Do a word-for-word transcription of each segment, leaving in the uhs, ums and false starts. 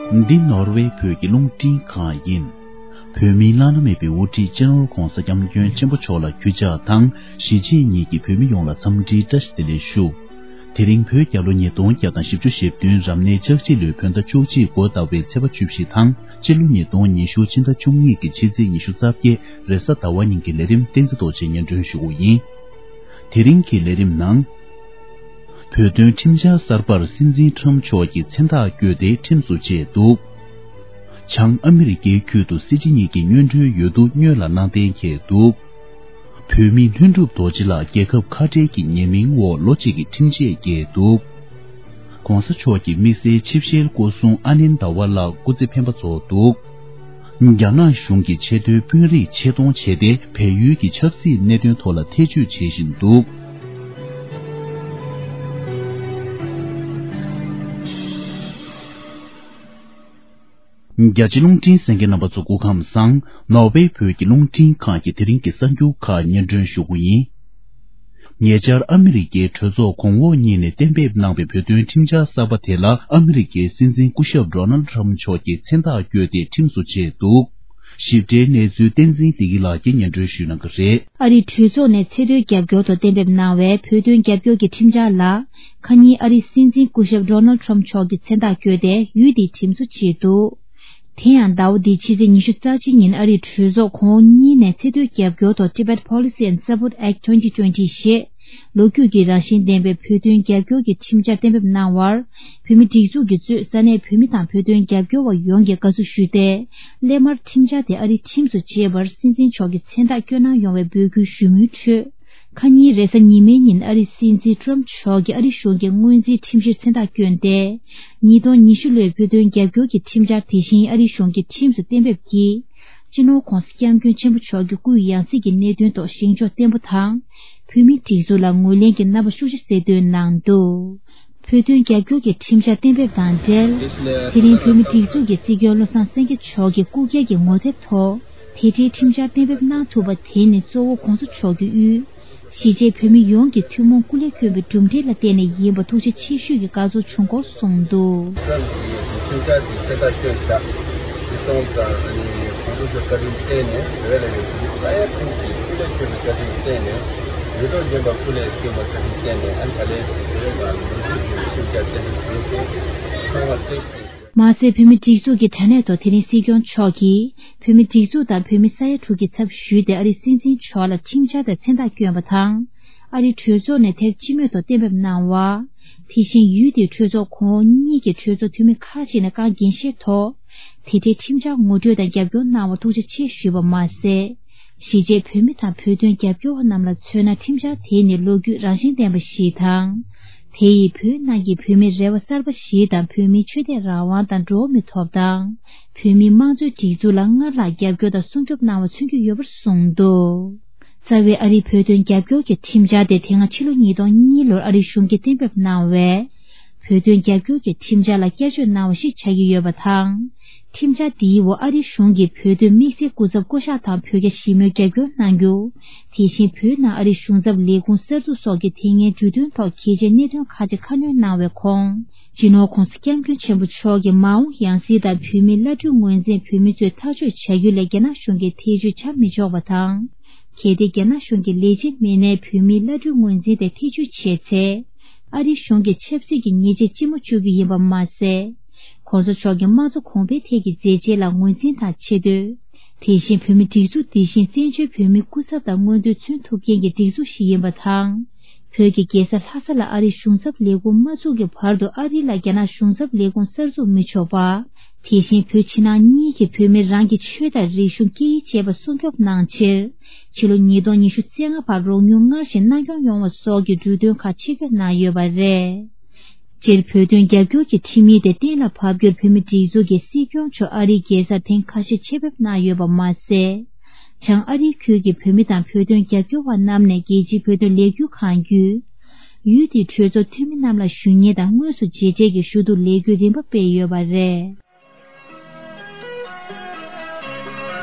འདི་ནོར་ཝེ་བོད་ཀྱི་རླུང་འཕྲིན་ཁང་ཡིན། བོད་མིའི་བླ་ན་མེད་པའི་དབུ་ཁྲིད་སྤྱི་ནོར་༧གོང་ས་༧སྐྱབས་མགོན་ཆེན་པོ་མཆོག་ལ་གུས་ཕྱག་དང་། གཞིས་བྱེས་གཉིས་ཀྱི་བོད་མི་ཡོངས་ལ་འཚམས་འདྲིའི་བཀྲ་ཤིས་བདེ་ལེགས་ཞུ། དེ་རིང་བོད་རྒྱལ་ལོ་ཉིས་སྟོང་བརྒྱ་དང་བཞི་བཅུ་ཞེ་བདུན་རབ་གནས་ལྕགས་བྱི་ལོའི་བོད་ཟླ་བཅུ་གཅིག་འགོ་ཟླ་བའི་ཚེས་པ་བཅུ་བཞི་དང་། སྤྱི་ལོ་ཉིས་སྟོང་ཉི་ཤུ་ཕྱི་ཟླ་བཅུ་གཉིས་ཀྱི་ཕྱི་ཚེས་ཉི་ཤུ་རྩ་བརྒྱད་རེས་གཟའ་ཟླ་བ་ཉིན་གྱི་ལས་རིམ་བསྟན་འཛིན་རྡོ་རྗེས་སྙན་སྒྲོན་ཞུ་གི་ཡིན། དེ་རིང་གི་ལས་རིམ་ནང་། བོད་དོན་ཁྲིམས་འཆར་གསར་པར་སྲིད་འཛིན་ཁྲོམ་མཆོག་གིས་མཚན་རྟགས་བཀོད་དེ་ཁྲིམས་སུ་བཅད་འདུག། བྱང་ཨ་མི་རི་ཀའི་ཁུལ་དུ་སྲིད་སྤྱི་གཉིས་ཀྱི་སྔོན་འགྲོའི་འོས་བསྡུ་སྔོན་ལ་གནང་གཏན་འཁེལ་འདུག། བོད་མི་ལྷུན་གྲུབ་རྡོ་རྗེ་ལགས་རྒྱལ་ཁབ་ཁ་བྲལ་གྱི་ཉེས་མིང་འོག་ལོ་གཅིག་གི་ཁྲིམས་ཆད་བཀལ་འདུག། ༸གོང་ས་མཆོག་གི་དམིགས་བསལ་ཆིབས་ཞལ་སྐུ་སྲུང་ཨ་ནེན་ད་ཝ་ལགས་སྐུ་ཚེ་འཕེན་པ་རྫོགས་འདུག། རྒྱ་ནག་གཞུང་གིས་ཆེས་མཐོའི་དཔོན་རིགས་ཆེད་གཏོང་བྱས་ཏེ། བལ་ཡུལ་གྱི་ཆབ་སྲིད་གནད་དོན་ཐོག་ལ་ཐེ་བྱུས་བྱེད་བཞིན་འདུག། རྒྱ་ཆེ་རླུང་འཕྲིན་གསན་མཁན་རྣམ་པ་ཚོ་སྐུ་ཁམས་བཟང་། ནོར་ཝེ་བོད་ཀྱི་རླུང་འཕྲིན་ཁང་གི་དེ་རིང་གི་གསར་འགྱུར་ཁག་སྙན་སྒྲོན་ཞུ་གི་ཡིན། ཉེ་ཆར་ཨ་མི་རི་ཀའི་གྲོས་ཚོགས་གོང་འོག་གཉིས་ནས་གཏན་འབེབས་གནང་བའི་བོད་དོན་ཁྲིམས་འཆར་གསར་པ་དེ་ལ་ཨ་མི་རི་ཀའི་སྲིད་འཛིན་སྐུ་ཞབས་ཌོ་ནལ་ཊམ་མཆོག་གིས་མཚན་རྟགས་བཀོད་དེ་ཁྲིམས་སུ་བཅད་འདུག། ཞིབ་ཕྲའི་གནས་ཚུལ་བསྟན་འཛིན་བདེ་སྐྱིད་ལགས་ཀྱིས་སྙན་སྒྲོན་ཞུ་གནང་གི་རེད། ཨ་རིའི་གྲོས་ཚོགས་ནས་ཚད་མཐོའི་རྒྱབ་སྐྱོར་ཐོག་གཏན་འབེབས་གནང་བའི་བོད་དོན་རྒྱབ་སྐྱོར་གྱི་ཁྲིམས་འཆར་ལ། ཁ་ཉིན་ཨ་རིའི་སྲིད་འཛིན་སྐུ་ཞབས་ཌོ་ནལ་ཊམ་མཆོག་གིས་མཚན་རྟགས་བཀོད་དེ་ཡུལ་དེའི་ཁྲིམས་སུ་བཅད་འདུག། དེ་ཡང་ཟླ་བ་འདིའི་ཕྱི་ཚེས་ཉི་ཤུ་རྩ་གཅིག་ཉིན་ཨ་རིའི་གྲོས་ཚོགས་གོང་འོག་གཉིས་ནས་ཚད་མཐོའི་རྒྱབ་སྐྱོར་ཐོག་Tibet Policy and Support Act twenty twenty ཞེས་ལོ་རྒྱུས་ཀྱི་རང་བཞིན་ལྡན་པའི་བོད་དོན་རྒྱབ་སྐྱོར་གྱི་ཁྲིམས་འཆར་གཏན་འབེབས་གནང་བར། བོད་མིའི་སྒྲིག་འཛུགས་ཀྱིས་གཙོས་ས་གནས་བོད་མི་དང་བོད་དོན་རྒྱབ་སྐྱོར་བ་ཡོངས་ཀྱིས་དགའ་བསུ་ཞུས་ཏེ། སླད་མར་ཁྲིམས་འཆར་དེ་ཨ་རིའི་ཁྲིམས་སུ་བཅད་པར་སྲིད་འཛིན་མཆོག་གིས་མཚན་རྟགས་བསྐྱོན་གནང་ཡོང་བའི་འབོད་སྐུལ་ཞུ་མུས་ཁྲོད། ཁ་ཉིན་རེས་གཟའ་ཉི་མའི་ཉིན་ཨ་རིའི་སྲིད་འཛིན་ཊམ་མཆོག་གིས་ཨ་རིའི་གཞུང་གི་སྔོན་རྩིས་ཁྲིམས་གཞིར་མཚན་རྟགས་བསྐྱོན་ཏེ། ཉིས་སྟོང་ཉི་ཤུ་ལོའི་བོད་དོན་རྒྱབ་སྐྱོར་གྱི་ཁྲིམས་འཆར་དེ་བཞིན་ཨ་རིའི་གཞུང་གི་ཁྲིམས་སུ་གཏན་འབེབས་ཀྱིས། སྤྱི་ནོར་༸གོང་ས་༸སྐྱབས་མགོན་ཆེན་པོ་མཆོག་གི་སྐུའི་ཡང་སྲིད་ཀྱི་གནད་དོན་ཐོག་བཞེངས་ཕྱོགས་བརྟན་པོ་དང་། བོད་མིའི་སྒྲིག་འཛུགས་ལ་ངོས་ལེན་གྱི་རྣམ་པ་ཤུགས་ཆེ་གསལ་སྟོན་གནང་འདུག། བོད་དོན་རྒྱབ་སྐྱོར་གྱི་ཁྲིམས་འཆར་གཏན་འབེབས་དང་འབྲེལ། དེ་རིང་བོད་མིའི་སྒྲིག་འཛུགས་ཀྱི་སྲིད་སྐྱོང་བློ་བཟང་སེང་གེ་མཆོག་གིས་སྐུ་སྒེར་གྱི་ངོ་དེབ་ཐོག་དེ་འབྲེལ་ཁྲིམས་འཆར་གཏན་འབེབས་གནང་ཐུབ་པ་དེ་ནི་གཙོ་བོ་༸གོང་ས་མཆོག་གི་དབུས། གཞིས་བྱེས་བོད་མི་ཡོངས་ཀྱི་ཐུན་མོང་སྐུ་ལས་བསྐྱོན་པའི་གྲུབ་འབྲས་ལ་བརྟེན་ནས་ཡིན་པ་ཐུགས་རྗེ་ཆེ་ཞུས་ཀྱི་དགའ་ཚོར་བྱུང་སྐོར་གསུངས་འདུག། ཁྲིམས་འཆར་དེ་གསལ་ཐག་ཆོད་བཞག། སྤྱི་སྟོང་དང་ཨ་ནི་༸གོང་ས་མཆོག་བཀའ་དྲིན་བརྟེན་ནས་བོད་ལ་ཡོད་པའི་ས་ཡ་དྲུག་གི་སྐུ་ལས་བསྐྱོན་པའི་བཀའ་དྲིན་བརྟེན་ནས་ཡོད་དོ་སྦྱིན་པ་སྐུ་ལས་བསྐྱོན་པ་བཀའ་དྲིན་བརྟེན་ནས་ཨ་ནི་ད་ལན་བོད་ལ་ལོ་རྒྱུས་ཀྱི་ཁྲིམས་འཆར་གཏན་འབེབས་བྱས་ཏེ་ཚང་མ་བརྩེ་ཞིང་། མ་ཟད་བོད་མི་སྒྲིག་འཛུགས་ཀྱི་དྲ་གནས་ཐོག་དེ་རིང་སྲིད་སྐྱོང་མཆོག་གིས་བོད་མི་སྒྲིག་འཛུགས་དང་བོད་མི་ས་ཡ་དྲུག་གི་ཚབ་ཞུས་ཏེ་ཨ་རིའི་སྲིད་འཛིན་མཆོག་ལ་ཁྲིམས་འཆར་དང་མཚན་རྟགས་བསྐྱོན་པ་དང་། ཨ་རིའི་གྲོས་ཚོགས་ནས་དེབ་སྤྱི་མོས་ཐོག་གཏན་འབེབས་གནང་བ། དེ་བཞིན་ཡུལ་དེའི་གྲོས་ཚོགས་གོང་འོག་གཉིས་ཀྱི་གྲོས་ཚོགས་འཐུས་མི་ཁག་ཅིག་ནས་བཀའ་འགན་བཞེས་ཐོག་དེ་འབྲེལ་ཁྲིམས་འཆར་ངོ་སྤྲོད་དང་རྒྱབ་སྐྱོར་གནང་བར་ཐུགས་རྗེ་ཆེ་ཞུས་པ་མ་ཟད། གཞིས་བྱེས་བོད་མི་དང་བོད་དོན་རྒྱབ་སྐྱོར་བ་རྣམས་ལ་མཚོན་ན་ཁྲིམས་འཆར་དེ་ནི་ལོ་རྒྱུས་རང་བཞིན་ལྡན་པ་ཞིག་དང་། དེ་ཡིས་བོད་ནང་གི་བོད་མིའི་རེ་བ་གསར་པ་ཞིག་དང་བོད་མིའི་ཆོས་དད་རང་དབང་དང་འགྲོ་བ་མིའི་ཐོབ་ཐང་། བོད་མིའི་དམངས་གཙོའི་སྒྲིག་འཛུགས་ལ་སྔར་ལྷག་རྒྱབ་སྐྱོར་དང་སྲུང་སྐྱོབ་གནང་བ་མཚོན་གྱི་ཡོད་པར་གསུངས་འདུག། རྩ་བའི་ཨ་རིའི་བོད་དོན་རྒྱབ་སྐྱོར་གྱི་ཁྲིམས་འཆར་དེ་དེ་སྔ་ཕྱི་ལོ་ཉིས་སྟོང་གཉིས་ལོར་ཨ་རིའི་གཞུང་གིས་གཏན་འབེབས་གནང་བའི་བོད་དོན་རྒྱབ་སྐྱོར་གྱི་ཁྲིམས་འཆར་ལ་བསྐྱར་བཅོས་གནང་བ་ཞིག་ཆགས་ཀྱི་ཡོད་པ་དང་། ཁྲིམས་འཆར་འདིའི་འོག་ཨ་རིའི་གཞུང་གིས་བོད་དོན་དམིགས་བསལ་སྐུ་ཚབ་བསྐོ་གཞག་དང་བོད་རྒྱ་ཞི་མོལ་རྒྱབ་སྐྱོར་གནང་རྒྱུ། དེ་བཞིན་བོད་ནང་ཨ་རིའི་གཞུང་ཚབ་ལས་ཁུངས་གསར་འཛུགས་སོགས་ཀྱི་དེ་སྔའི་གྲོས་མཐུན་ཐོག་གལ་ཆེའི་གནད་དོན་ཁག་ཅིག་ཁ་སྣོན་གནང་བའི་ཁོངས། སྤྱི་ནོར་༸གོང་ས་༸སྐྱབས་མགོན་ཆེན་པོ་མཆོག་གི་མ་འོངས་ཡང་སྲིད་དང་བོད་མིའི་བླ་སྤྲུལ་ངོས་འཛིན་བོད་མི་ཚོས་ཐག་གཅོད་བྱ་རྒྱུ་ལས་རྒྱ་ནག་གཞུང་གིས་ཐེ་བྱུས་བྱ་མི་ཆོག་པ་དང་། གལ་ཏེ་རྒྱ་ནག་གཞུང་གི་ལས་བྱེད་མི་སྣས་བོད་མིའི་བླ་སྤྲུལ་ངོས་འཛིན་དེ་ཐེ་བྱུས་བྱས་ཚེ། ཨ་རིའི་གཞུང་གིས་ཆབ་སྲིད་ཀྱི་ཉེས་ཆད་ལྕི་མོ་གཅོད་རྒྱུ་ཡིན་པ་མ་ཟད། ༸གོང་ས་མཆོག་གིས་དམངས་གཙོ་གོང་འཕེལ་ཐད་ཀྱི་མཛད་རྗེས་ལ་ངོས་འཛིན་དང་ཆེ་བསྟོད། དེ་བཞིན་བོད་མི་སྒྲིག་འཛུགས་འདི་བཞིན་བཙན་བྱོལ་བོད་མིའི་སྐུ་ཚབ་དང་མངོན་འདོད་མཚོན་ཐུབ་མཁན་གྱི་སྒྲིག་འཛུགས་ཤིག་ཡིན་པ་དང་། བོད་ཀྱི་རྒྱལ་ས་ལྷ་ས་ལ་ཨ་རིའི་གཞུང་ཚབ་ལས་ཁུངས་མ་བཙུགས་ཀྱི་བར་དུ་ཨ་རི་ལ་རྒྱ་ནག་གཞུང་ཚབ་ལས་ཁུངས་གསར་འཛུགས་མི་ཆོག་པ། དེ་བཞིན་བོད་ཕྱི་ནང་གཉིས་ཀྱི་བོད་མི་རང་གི་ཆོས་དང་རིག་གཞུང་སྐད་ཡིག་བཅས་པ་སྲུང་སྐྱོབ་གནང་ཕྱིར། ཕྱི་ལོ་ཉིས་སྟོང་ཉི་ཤུ་རྩ་ལྔ་བར་རོགས་དངུལ་སྔར་བཞིན་གནང་སྐྱོང་ཡོང་བ་སོགས་ཀྱི་འབྲུ་དོན་ཁག་ཆིག་སྒྲིལ་གནང་ཡོད་པ་རེད། སྤྱིར་བོད་དོན་རྒྱབ་སྐྱོར་གྱི་ཁྲིམས་ཡིག་དེ་གཏན་ལ་ཕབ་རྒྱུར་བོད་མིའི་སྒྲིག་འཛུགས་ཀྱི་སྲིད་སྐྱོང་མཆོག་ཨ་རིའི་རྒྱལ་སར་ཐེངས་ཁ་ཤས་ཆེད་ཕེབས་གནང་ཡོད་པ་མ་ཟད། བྱང་ཨ་རིའི་ཁུལ་གྱི་བོད་མི་དང་བོད་དོན་རྒྱབ་སྐྱོར་བ་རྣམས་ནས་རྒྱལ་སྤྱིའི་བོད་དོན་ལས་འགུལ་གང་བརྒྱུད། ཡུལ་དེའི་གྲོས་ཚོགས་འཐུས་མི་རྣམས་ལ་ཞུ་སྙན་དང་དངོས་སུ་མཇལ་འཕྲད་ཀྱི་ཞུ་གཏུག་ལས་འགུལ་རིམ་པ་སྤེལ་ཡོད་པ་རེད།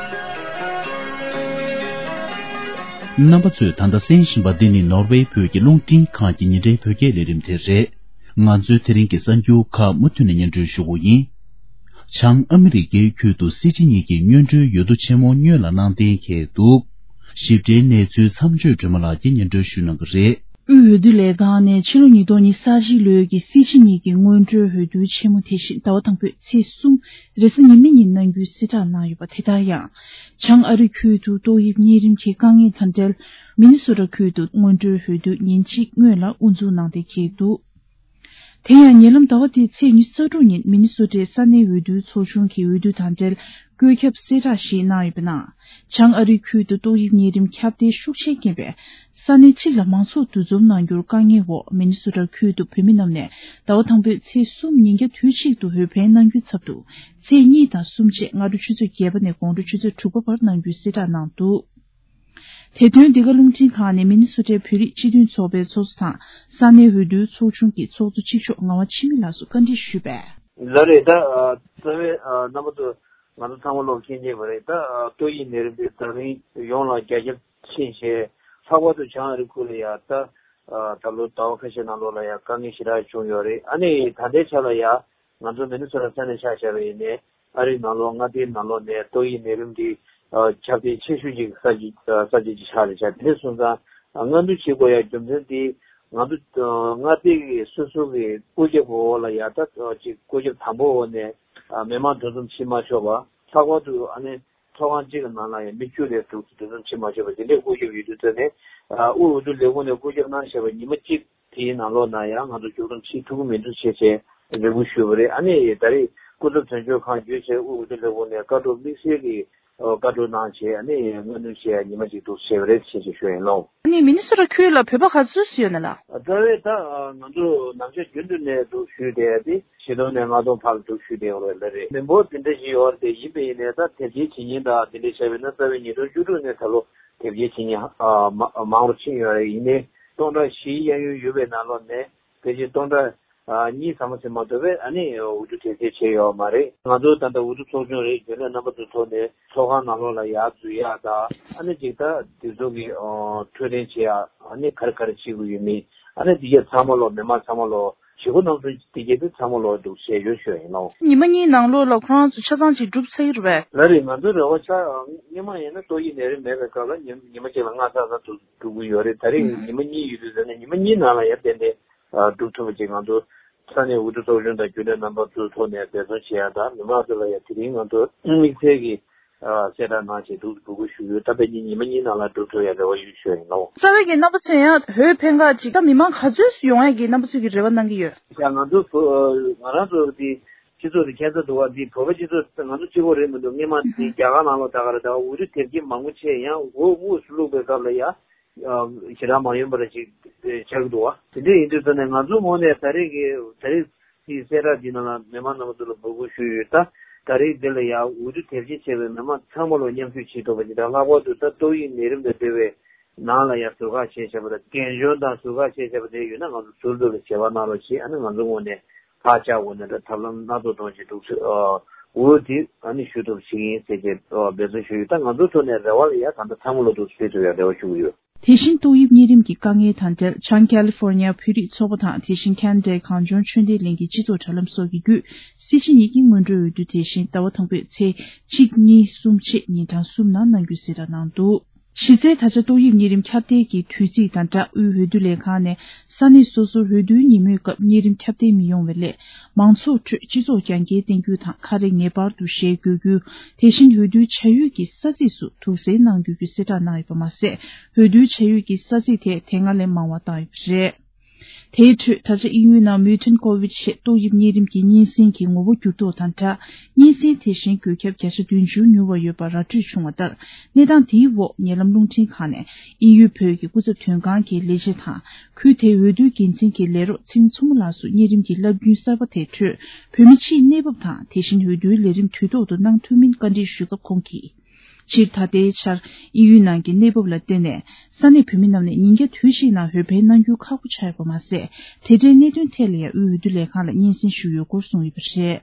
རྣམ་པ་ཚོས་ད་ལྟ་གསན་བཞིན་པ་འདི་ནི་ནོར་ཝེ་བོད་ཀྱི་རླུང་འཕྲིན་ཁང་གི་ཉིན་རེའི་བོད་སྐད་ལས་རིམ་དེ་རེད། ང་ཚོའི་དེ་རིང་གི་གསར་འགྱུར་ཁག་མུ་མཐུད་ནས་སྙན་སྒྲོན་ཞུ་གི་ཡིན། བྱང་ཨ་མི་རི་ཀའི་ཁུལ་དུ་སྲིད་སྤྱི་གཉིས་ཀྱི་སྔོན་འགྲོའི་འོས་བསྡུ་ཆེན་མོ་སྔོན་ལ་གནང་གཏན་འཁེལ་འདུག། ཞིབ་ཕྲའི་གནས་ཚུལ་མཚམས་གཅོད་སྒྲོལ་མ་ལགས་ཀྱིས་སྙན་སྒྲོན་ཞུ་གནང་གི་རེད། དབུས་འོས་བསྡུ་ལས་ཁང་ནས་ཕྱི་ལོ་ཉིས་སྟོང་ཉི་ཤུ་རྩ་གཅིག་ལོའི་གི་སྲིད་སྤྱི་གཉིས་ཀྱི་སྔོན་འགྲོའི་འོས་བསྡུ་ཆེན་མོ་དེ་བཞིན་ཟླ་བ་དང་པོའི་ཚེས་གསུམ་རེས་གཟའ་ཉི་མའི་ཉིན་གནང་རྒྱུའི་གསལ་བསྒྲགས་གནང་ཡོད་པ། དེ་ལྟར་ཡང་། བྱང་ཨ་རི་ཁུལ་དུ་ཏོག་དབྱིབས་གཉན་རིམས་ཀྱི་དཀའ་ངལ་དང་འབྲེལ། མི་ནི་སོ་ཊ་ཁུལ་དུ་སྔོན་འགྲོའི་འོས་བསྡུ་ཉིན་གཅིག་སྔོན་ལ་དབུ་འཛུགས་གནང་གཏན་འཁེལ་འདུག། དེ་ཡང་ཉེ་ལམ་ཟླ་བ་འདིའི་ཚེས་ཉི་ཤུ་རྩ་དྲུག་ཉིན་མི་ནི་སོ་ཊའི་ས་གནས་འོས་བསྡུའི་ཚོགས་ཆུང་གི་འོས་བསྡུ་དང་འབྲེལ་བཀོད་ཁྱབ་གསལ་བསྒྲགས་ཤིག་གནང་ཡོད་པའི་ནང་། བྱང་ཨ་རིའི་ཁུལ་དུ་ཏོག་དབྱིབས་གཉན་རིམས་ཁྱབ་གདལ་ཤུགས་ཆེར་རྐྱེན་པས། ས་གནས་གཅིག་ལ་མང་ཚོགས་འདུ་འཛོམས་གནང་རྒྱུར་དཀའ་ངལ་འོག་མི་ནི་སོ་ཊ་ཁུལ་དུ་བོད་མི་རྣམས་ནས་ཟླ་བ་དང་པོའི་ཚེས་གསུམ་ཉིན་རྒྱབ་དུས་གཅིག་ཏུ་འོས་འཕེན་གནང་རྒྱུའི་ཚབ་ཏུ། ཚེས་གཉིས་དང་གསུམ་བཅས་སྔ་དྲོ་ཆུ་ཚོད་བརྒྱད་པ་ནས་དགོང་དྲོ་ཆུ་ཚོད་དྲུག་པ་བར་གནང་རྒྱུའི་གསལ་བསྒྲགས་གནང་འདུག། དེ་དོན་འདི་ག་རླུང་འཕྲིན་ཁང་ནས་མི་ནི་སོ་ཊའི་བོད་རིགས་སྤྱི་མཐུན་ཚོགས་པའི་ཚོགས་གཙོ་དང་ས་གནས་འོས་བསྡུའི་ཚོགས་ཆུང་གི་ཚོགས་གཙོ་གཅིག་ལྕོགས་ངག་དབང་འཆི་མེད་ལགས་སུ་བཀའ་འདྲི་ཞུས་པས། ལགས་རེད། ད་རྩ་བའི་རྣམ་པ་ཚོ་ང་ཚོ་ཚང་མ་ལོག་མཁྱེན་གྱི་མ་རེད། ད་ཏོག་དབྱིབས་ནད་རིམས་དེ་ད་རིང་ཡོངས་ལ་རྒྱ་ཁྱབ་ཕྱིན་བྱས། ལྷག་པར་དུ་བྱང་ཨ་རི་ཁུལ་ལ་ཡ་ད་ད་ལོ་ཟླ་བ་ཁ་ཤས་ནང་ལོགས་ལ་ཡ་དཀའ་ངལ་ཞེ་དྲག་བྱུང་ཡོད་རེད། ཨ་ནི་ད་ལྟའི་ཆ་ལ་ཡ། ང་ཚོ་མི་ནི་སོ་ཊ་ས་གནས་ཆ་བཞག་པ་ཡིན་ནའི་ཨ་རིའི་ནང་ལོགས་མངའ་སྡེའི་ནང་ལོགས་ནས་ཏོག་དབྱིབས་ནད་རིམས་འདི་ཁྱབ་གདལ་ཆེ་ཤོས་ཅིག་ས་ས་ཆ་ཅིག་ཆགས་རེད་ཤག། དེ་འདྲ་སོང་ཙང་སྔ་འདུ་བྱེད་དགོས་ཡ་རྒྱུ་མཚན་འདི་ང་ཚོ་མངའ་སྡེ་གི་སོ་སོ་གི་བཀོད་ཁྱབ་འོག་ལ་ཡ་ད་ཅིག་བཀོད་ཁྱབ་དང་པོ་འོག་ནས་མི་མང་འདུ་འཛོམས་བྱེད་མ་ཆོག་པ། ལྷག་པར་དུ་ཨ་ནི་ཚོགས་ཁང་གཅིག་གི་ནང་ལ་ཡ་མི་བཅུ་ལས་འདུ་འཛོམས་བྱེད་མ་ཆོག་པ་དེ་འདྲའི་བཀོད་ཁྱབ་ཡོད་དུས་ཙང་ནས་དབུས་འོས་བསྡུ་ལས་ཁུངས་ནས་བཀོད་ཁྱབ་གནང་བཞག་པ་ཉི་མ་གཅིག་དེའི་ནང་ལོགས་ན་ཡང་ང་ཚོ་མཇུག་སྡོམ་བྱེད་ཐུབ་ཀྱི་མི་འདུག་ཅེས་བྱས་རེ་སྐུལ་ཞུས་པ་རེད། ཨ་ནི་ད་རེས་སྐུ་ཚབ་དོན་གཅོད་ཁང་བརྒྱུད་བྱས་དབུས་འོས་བསྡུ་ལས་ཁུངས་ནས་བཀའ་སྒྲོག་དམིགས་བསལ་གྱི་བཀའ་སྒྲོག་གནང་བྱས། ཨ་ནི་སྔ་སྣུར་བྱས་ཉི་མ་གཅིག་འདུག་བྱས་པ་རེད་ཅེས་ཞུ་ཡིན་ལོ། ཨ་ནི་མི་ནི་སོ་ཊ་ཁུལ་ལ་བོད་པ་ག་ཚོད་ཡོད་ན་ལགས། རྩ་བའི་ད་ང་ཚོ་ནམ་ཞག་རྒྱུན་དུ་ནས་འདུག་ཞུས་བསྡད་དེ་བཞི་སྟོང་ནས་ལྔ་སྟོང་བར་ལ་འདུག་ཞུས་བསྡད་ཡོད་རེད། ལགས་རེད། མི་འབོར་དེ་འདྲ་ཞིག་ཡོད་རེད། དེ་ཡིན་པ་ཡིན་ནའི་ད་དེབ་སྐྱེལ་བྱེད་མཁན་དང་དེ་འདྲ་བྱས་པ་ཡིན་ན་རྩ་བའི་ཉིས་སྟོང་བཅུ་དྲུག་ནས་ད་ལོ་དེབ་སྐྱེལ་བྱེད་མཁན་ཨ་མ་མང་རུ་ཕྱིན་ཡོད་རེད། ཡིན་ནའི་སྟོང་ཕྲག་བཞི་གཡས་གཡོན་ཡོད་པའི་ནང་ལོགས་ནས་ཕལ་ཆེར་སྟོང་ཕྲག་ཨ་གཉིས་ཙམ་ཟིན་མ་ཐུབ་པས་ཨ་ནི་འོས་བསྡུ་དེབ་སྐྱེལ་བྱས་ཡོད་མ་རེད། ང་ཚོ་ད་ལྟ་འོས་བསྡུ་ཚོགས་ཆུང་རེད། རྒྱུན་ལས་རྣམ་པ་ཚོ་ཐོག་ནས་ཚོགས་ཁང་ནང་ལོགས་ལ་ཡར་འཛུལ་ཡག་དང་ཨ་ནི་ཅིག་ད་དེ་ཚོ་གི་འཕྲོད་བསྟེན་བྱེད་ཡག་ཨ་ནི་ག་རེ་ག་རེ་བྱེད་དགོས་ཡོད་མེད་ཨ་ནི་དེ་གས་ཚང་མ་ལོག་མི་མང་ཚང་མ་ལོག་བྱེད་སྒོ་རྣམ་གསུམ་དེ་གས་དེ་ཚང་མ་ལོག་འདུག་བྱས་ཡོད་ཞུ་ཡིན་ལོ། ཉི་མ་གཉིས་ནང་ལོགས་ལ་ཁོ་རང་ཚོ་ཆ་ཚང་ཅིག་གྲུབ་ཚར་གྱི་རེད་པས། ལགས་རེད། ང་ཚོའི་རེ་བ་ཆ་སྔོན་མ་ཡིན་ན་ཏོག་དབྱིབས་ནད་རིམས་མེད་པའི་སྐབས་ལ་ཉི་ཉི་མ་གཅིག་ལ་ལྔ་ཚར་ཚར་འདུག་འགྲོ་གི་ཡོད་རེད། ད་རེས་ཉི་མ་གཉིས་ཡོད་དུས་ཙམ་ནས་ཉི་མ་གཉིས་ནང་ལ་ཡར་ཏན་ཏན་སྒྲུབ་ཐུབ་པ་ཅིག་ང་ཚོ་ས་གནས་འོས་བསྡུ་ཚོགས་ཆུང་དང་རྒྱུན་ལས་རྣམ་པ་ཚོའི་ཐོག་ནས་འབད་བརྩོན་བྱེད་ཡག་དང་མི་མང་ཚོ་ལ་ཡང་དེ་རིང་ང་ཚོ་དམིགས་བསལ་གྱི་གསལ་བསྒྲགས་གནང་བྱས་འདུག་འགྲོ་དགོས་ཞུ་ཡོད། ད་དཔེ་ཉིན་ཉི་མ་གཉིས་ནང་ལ་འགྲུབ་ཐུབ་ཡག་རེ་བ་ཡོད་ཞུ་ཡིན་ལོ། རྩ་བའི་གི་རྣམ་པ་ཚོས་ཡང་འོས་འཕེན་ག་ཅིག་ད་མི་མང་ག་ཚོད་ཡོང་ཡག་གི་རྣམ་པ་ཚོས་ཀྱི་རེ་བ་གནང་གི་ཡོད། ཡ་ང་ཚོ་བོ་ང་རང་ཚོ་དེ་སྤྱི་ཚོགས་དེ་ཁྱད་མཚར་འདུག་བ། འདི་བོད་པ་སྤྱི་ཚོགས་ང་ཚོ་གཅིག་པོ་རེད་མི་འདུག་སྔོན་མ་དེ་རྒྱ་གར་ནང་ལོགས་ད་ག་རེ་ད་འོས་བསྡུ་དེབ་སྐྱེལ་མང་པོ་བྱས་ཡང་འོས་དབུས་སུ་བླུགས་པའི་སྐབས་ལ་ཡ། ཞེ་དྲག་མ་ཡོང་པ་རེ་ཞིག་ཆགས་ཀྱི་འདུག་བ། དེ་འདྲ་ཡིན་དུས་ཙང་ནས་ང་ཚོ་ངོས་ནས་ད་རེས་ཀྱི་ད་རེས་ཀྱི་གསལ་བསྒྲགས་འདི་ནང་ལ་མི་མང་རྣམ་པ་ཚོ་ལ་འབོད་སྐུལ་ཞུས་ཡོད། ད་ད་རེས་འདི་ལ་ཡང་འོས་བསྡུ་དེབ་སྐྱེལ་བྱས་པའི་མི་མང་ཚང་མ་ལ་མཉམ་ཞུགས་བྱེད་ཐུབ་པ་ཞིག་དང་། ལྷག་པར་དུ་ད་ཏོག་དབྱིབས་ནད་རིམས་དང་འབྲེལ་བའི་ནང་ལ་ཡང་ཟུར་བཀག་བྱས་བྱས་པ་དང་རྒན་གཞོན་དང་ཟུར་བཀག་བྱས་བྱས་པ་དེ་ཡོད་ན་ང་ཚོ་ཟུར་དུ་ལ་བྱེད་པ་གནང་རོགས་ཞེས་ཨ་ནི་ང་ཚོ་ངོས་ནས་ཐག་བཅད་འོག་ནས་ད་ཐབས་ལམ་སྣ་ཚོགས་གཏོང་བྱེད་འདུག་ཟེར་འོས་དེ་ཨ་ནི་ཞུ་ཐུབ་བྱེད་ཀྱི་ཡིན་ཟེར་གྱི་འབད་བརྩོན་ཞུ་ཡོད། ད་ང་ཚོའི་ཐོག་ནས་རེ་བ་ལ་ཡ་ད་ལྟ་ཚང་མ་ལོ་འདུག་སྤེལ་ཐུབ་ཡ་རེ་བ་ཞུ་གི་ཡོད། དེ་བཞིན་ཏོག་དབྱིབས་གཉན་རིམས་ཀྱི་དཀའ་ངལ་དང་འབྲེལ་བྱང་ཀ་ལི་ཧྥོར་ནི་ཡ་བོད་རིགས་ཚོགས་པ་དང་དེ་བཞིན་ཁེ་ན་ཌའི་གངས་ལྗོངས་ཆོས་ལྡན་གླིང་གི་སྤྱི་ཚོགས་དྲ་ལམ་སོགས་ཀྱི་བརྒྱུད་སྲིད་སྤྱི་གཉིས་ཀྱི་སྔོན་འགྲོའི་འོས་བསྡུ་དེ་བཞིན་ཟླ་བ་དང་པོའི་ཚེས་གཅིག་གཉིས་གསུམ་བཅས་ཉིན་གྲངས་གསུམ་ནང་གནང་རྒྱུའི་གསལ་བསྒྲགས་གནང་འདུག། གཞི་རྩའི་ད་ཆ་ཏོག་དབྱིབས་གཉན་རིམས་ཁྱབ་གདལ་གྱི་དུས་ཚིགས་དང་སྦྲགས་དབུས་འོས་བསྡུ་ལས་ཁང་ནས་ས་གནས་སོ་སོར་འོས་བསྡུའི་ཉིན་མོའི་སྐབས་གཉན་རིམས་ཁྱབ་གདལ་མི་ཡོང་བའི་སླད། མང་ཚོགས་ཁྲོད་སྤྱི་ཚོགས་རྒྱང་བསྐྱེད་བསྟན་རྒྱུ་དང་ཁ་རས་ངེས་པར་དུ་བཞེས་དགོས་རྒྱུ། དེ་བཞིན་འོས་བསྡུའི་བྱ་ཡུལ་གྱི་ས་ཚིགས་སུ་དུག་སེལ་གནང་དགོས་རྒྱུའི་གསལ་བསྒྲགས་གནང་ཡོད་པ་མ་ཟད། འོས་བསྡུའི་བྱ་ཡུལ་གྱི་ས་ཚིགས་དེ་དེ་སྔ་ལས་མང་བ་བཏང་ཡོད་པ་རེད། དེའི་ཁྲོད་ད་ཆ་དབྱིན་ཡུལ་ནང་མིའུ་ཊན་ཀོ་ཝིཌ་ཞེས་ཏོག་དབྱིབས་གཉན་རིམས་ཀྱི་གཉན་སྲིན་གྱི་ངོ་བོ་འགྱུར་ལྡོག་དང་སྦྲགས། གཉན་སྲིན་དེ་བཞིན་འགོས་ཁྱབ་བརྒྱ་ཆ་བདུན་ཅུ་མྱུར་བ་ཡོད་པ་ར་སྤྲོད་བྱུང་བ་ལྟར། གནས་སྟངས་དེའི་འོག་ཉེ་ལམ་རླུང་འཕྲིན་ཁང་ནས་དབྱིན་ཡུལ་བོད་ཀྱི་སྐུ་ཚབ་དོན་ཁང་གི་ལས་བྱེད་དང་། ཁུལ་དེའི་འོས་བསྡུའི་འགན་འཛིན་གྱི་ལས་རོགས་ཚེ་རིང་མཚོ་མོ་ལགས་སུ་གཉན་རིམས་ཀྱི་རླབས་རྒྱུན་གསར་པ་དེའི་ཁྲོད་བོད་མི་སྤྱིའི་གནས་བབ་དང་དེ་བཞིན་འོས་བསྡུའི་ལས་རིམ་དུས་ཐོག་ཏུ་གནང་ཐུབ་མིན་བཀའ་འདྲི་ཞུས་སྐབས་ཁོང་གིས། སྤྱིར་ད་ལྟའི་ཆར་དབྱིན་ཡུལ་ནང་གི་གནས་བབ་ལ་བརྟེན་ནས་ས་གནས་བོད་མི་རྣམས་ནས་ཉིན་རྒྱབ་དུས་གཅིག་ནང་འོས་འཕེན་གནང་རྒྱུ་ཁག་པོ་ཆགས་ཡོད་པ་མ་ཟད། དེ་འབྲེལ་གནད་དོན་ཐད་ལ་ཡང་དབུས་འོས་བསྡུ་ལས་ཁང་ལ་སྙན་སེང་ཞུས་ཡོད་སྐོར་གསུངས་ཡོད་པ་རེད།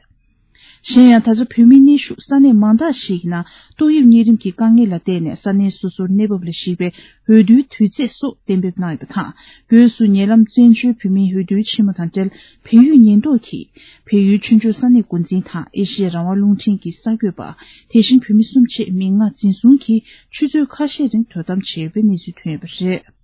གཞན་ཡང་ད་ཆ་བོད་མིའི་གནས་བཞུགས་ས་གནས་མང་དག་ཞིག་ཡིན་ན་ཏོག་དབྱིབས་གཉན་རིམས་ཀྱི་དཀའ་ངལ་ལ་བརྟེན་ནས་ས་གནས་སོ་སོར་གནས་བབ་ལ་གཞིགས་པའི་འོས་བསྡུའི་དུས་ཚེས་སོགས་གཏན་འབེབས་གནང་ཡོད་པ་དང་། སྒོས་སུ་ཉེ་ལམ་བཙན་བྱོལ་བོད་མིའི་འོས་བསྡུའི་ཆེན་མོ་དང་འབྲེལ་བལ་ཡུལ་ཉེན་རྟོག་གིས་བལ་ཡུལ་ཆོས་འབྱོར་ས་གནས་འགོ་འཛིན་དང་ཨེ་ཤེ་ཡ་རང་དབང་རླུང་འཕྲིན་གྱི་གསར་འགོད་པ། དེ་བཞིན་བོད་མི་གསུམ་བཅས་མི་ལྔ་འཛིན་བཟུང་གིས་ཆུ་ཚོད་ཁ་ཤས་རིང་དོ་དམ་བྱས་ཡོད་པའི་གནས་ཚུལ་ཐོན་ཡོད་པ་རེད།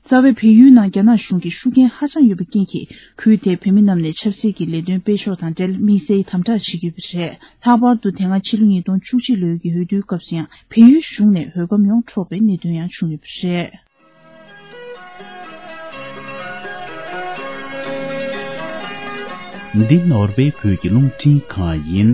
རྩ་བའི་བལ་ཡུལ་ནང་རྒྱ་ནག་གཞུང་གི་ཤུགས་རྐྱེན་ཧ་ཅང་ཡོད་པའི་རྐྱེན་གྱིས། ཁུལ་དེའི་བོད་མི་རྣམས་ནས་ཆབ་སྲིད་ཀྱི་ལས་དོན་སྤེལ་ཕྱོགས་དང་འབྲེལ་དམིགས་བསལ་དམ་དྲག་བྱེད་ཀྱི་ཡོད་པ་རེད། ལྷག་པར་དུ་དེ་སྔ་ཕྱི་ལོ་ཉིས་སྟོང་བཅུ་གཅིག་ལོའི་གི་འོས་བསྡུའི་སྐབས་སུ་ཡང་བལ་ཡུལ་གཞུང་ནས་འོས་སྒམ་ཡོངས་འཕྲོག་པའི་གནད་དོན་ཡང་བྱུང་ཡོད་པ་རེད། འདི་ནོར་ཝེ་བོད་ཀྱི་རླུང་འཕྲིན་ཁང་ཡིན།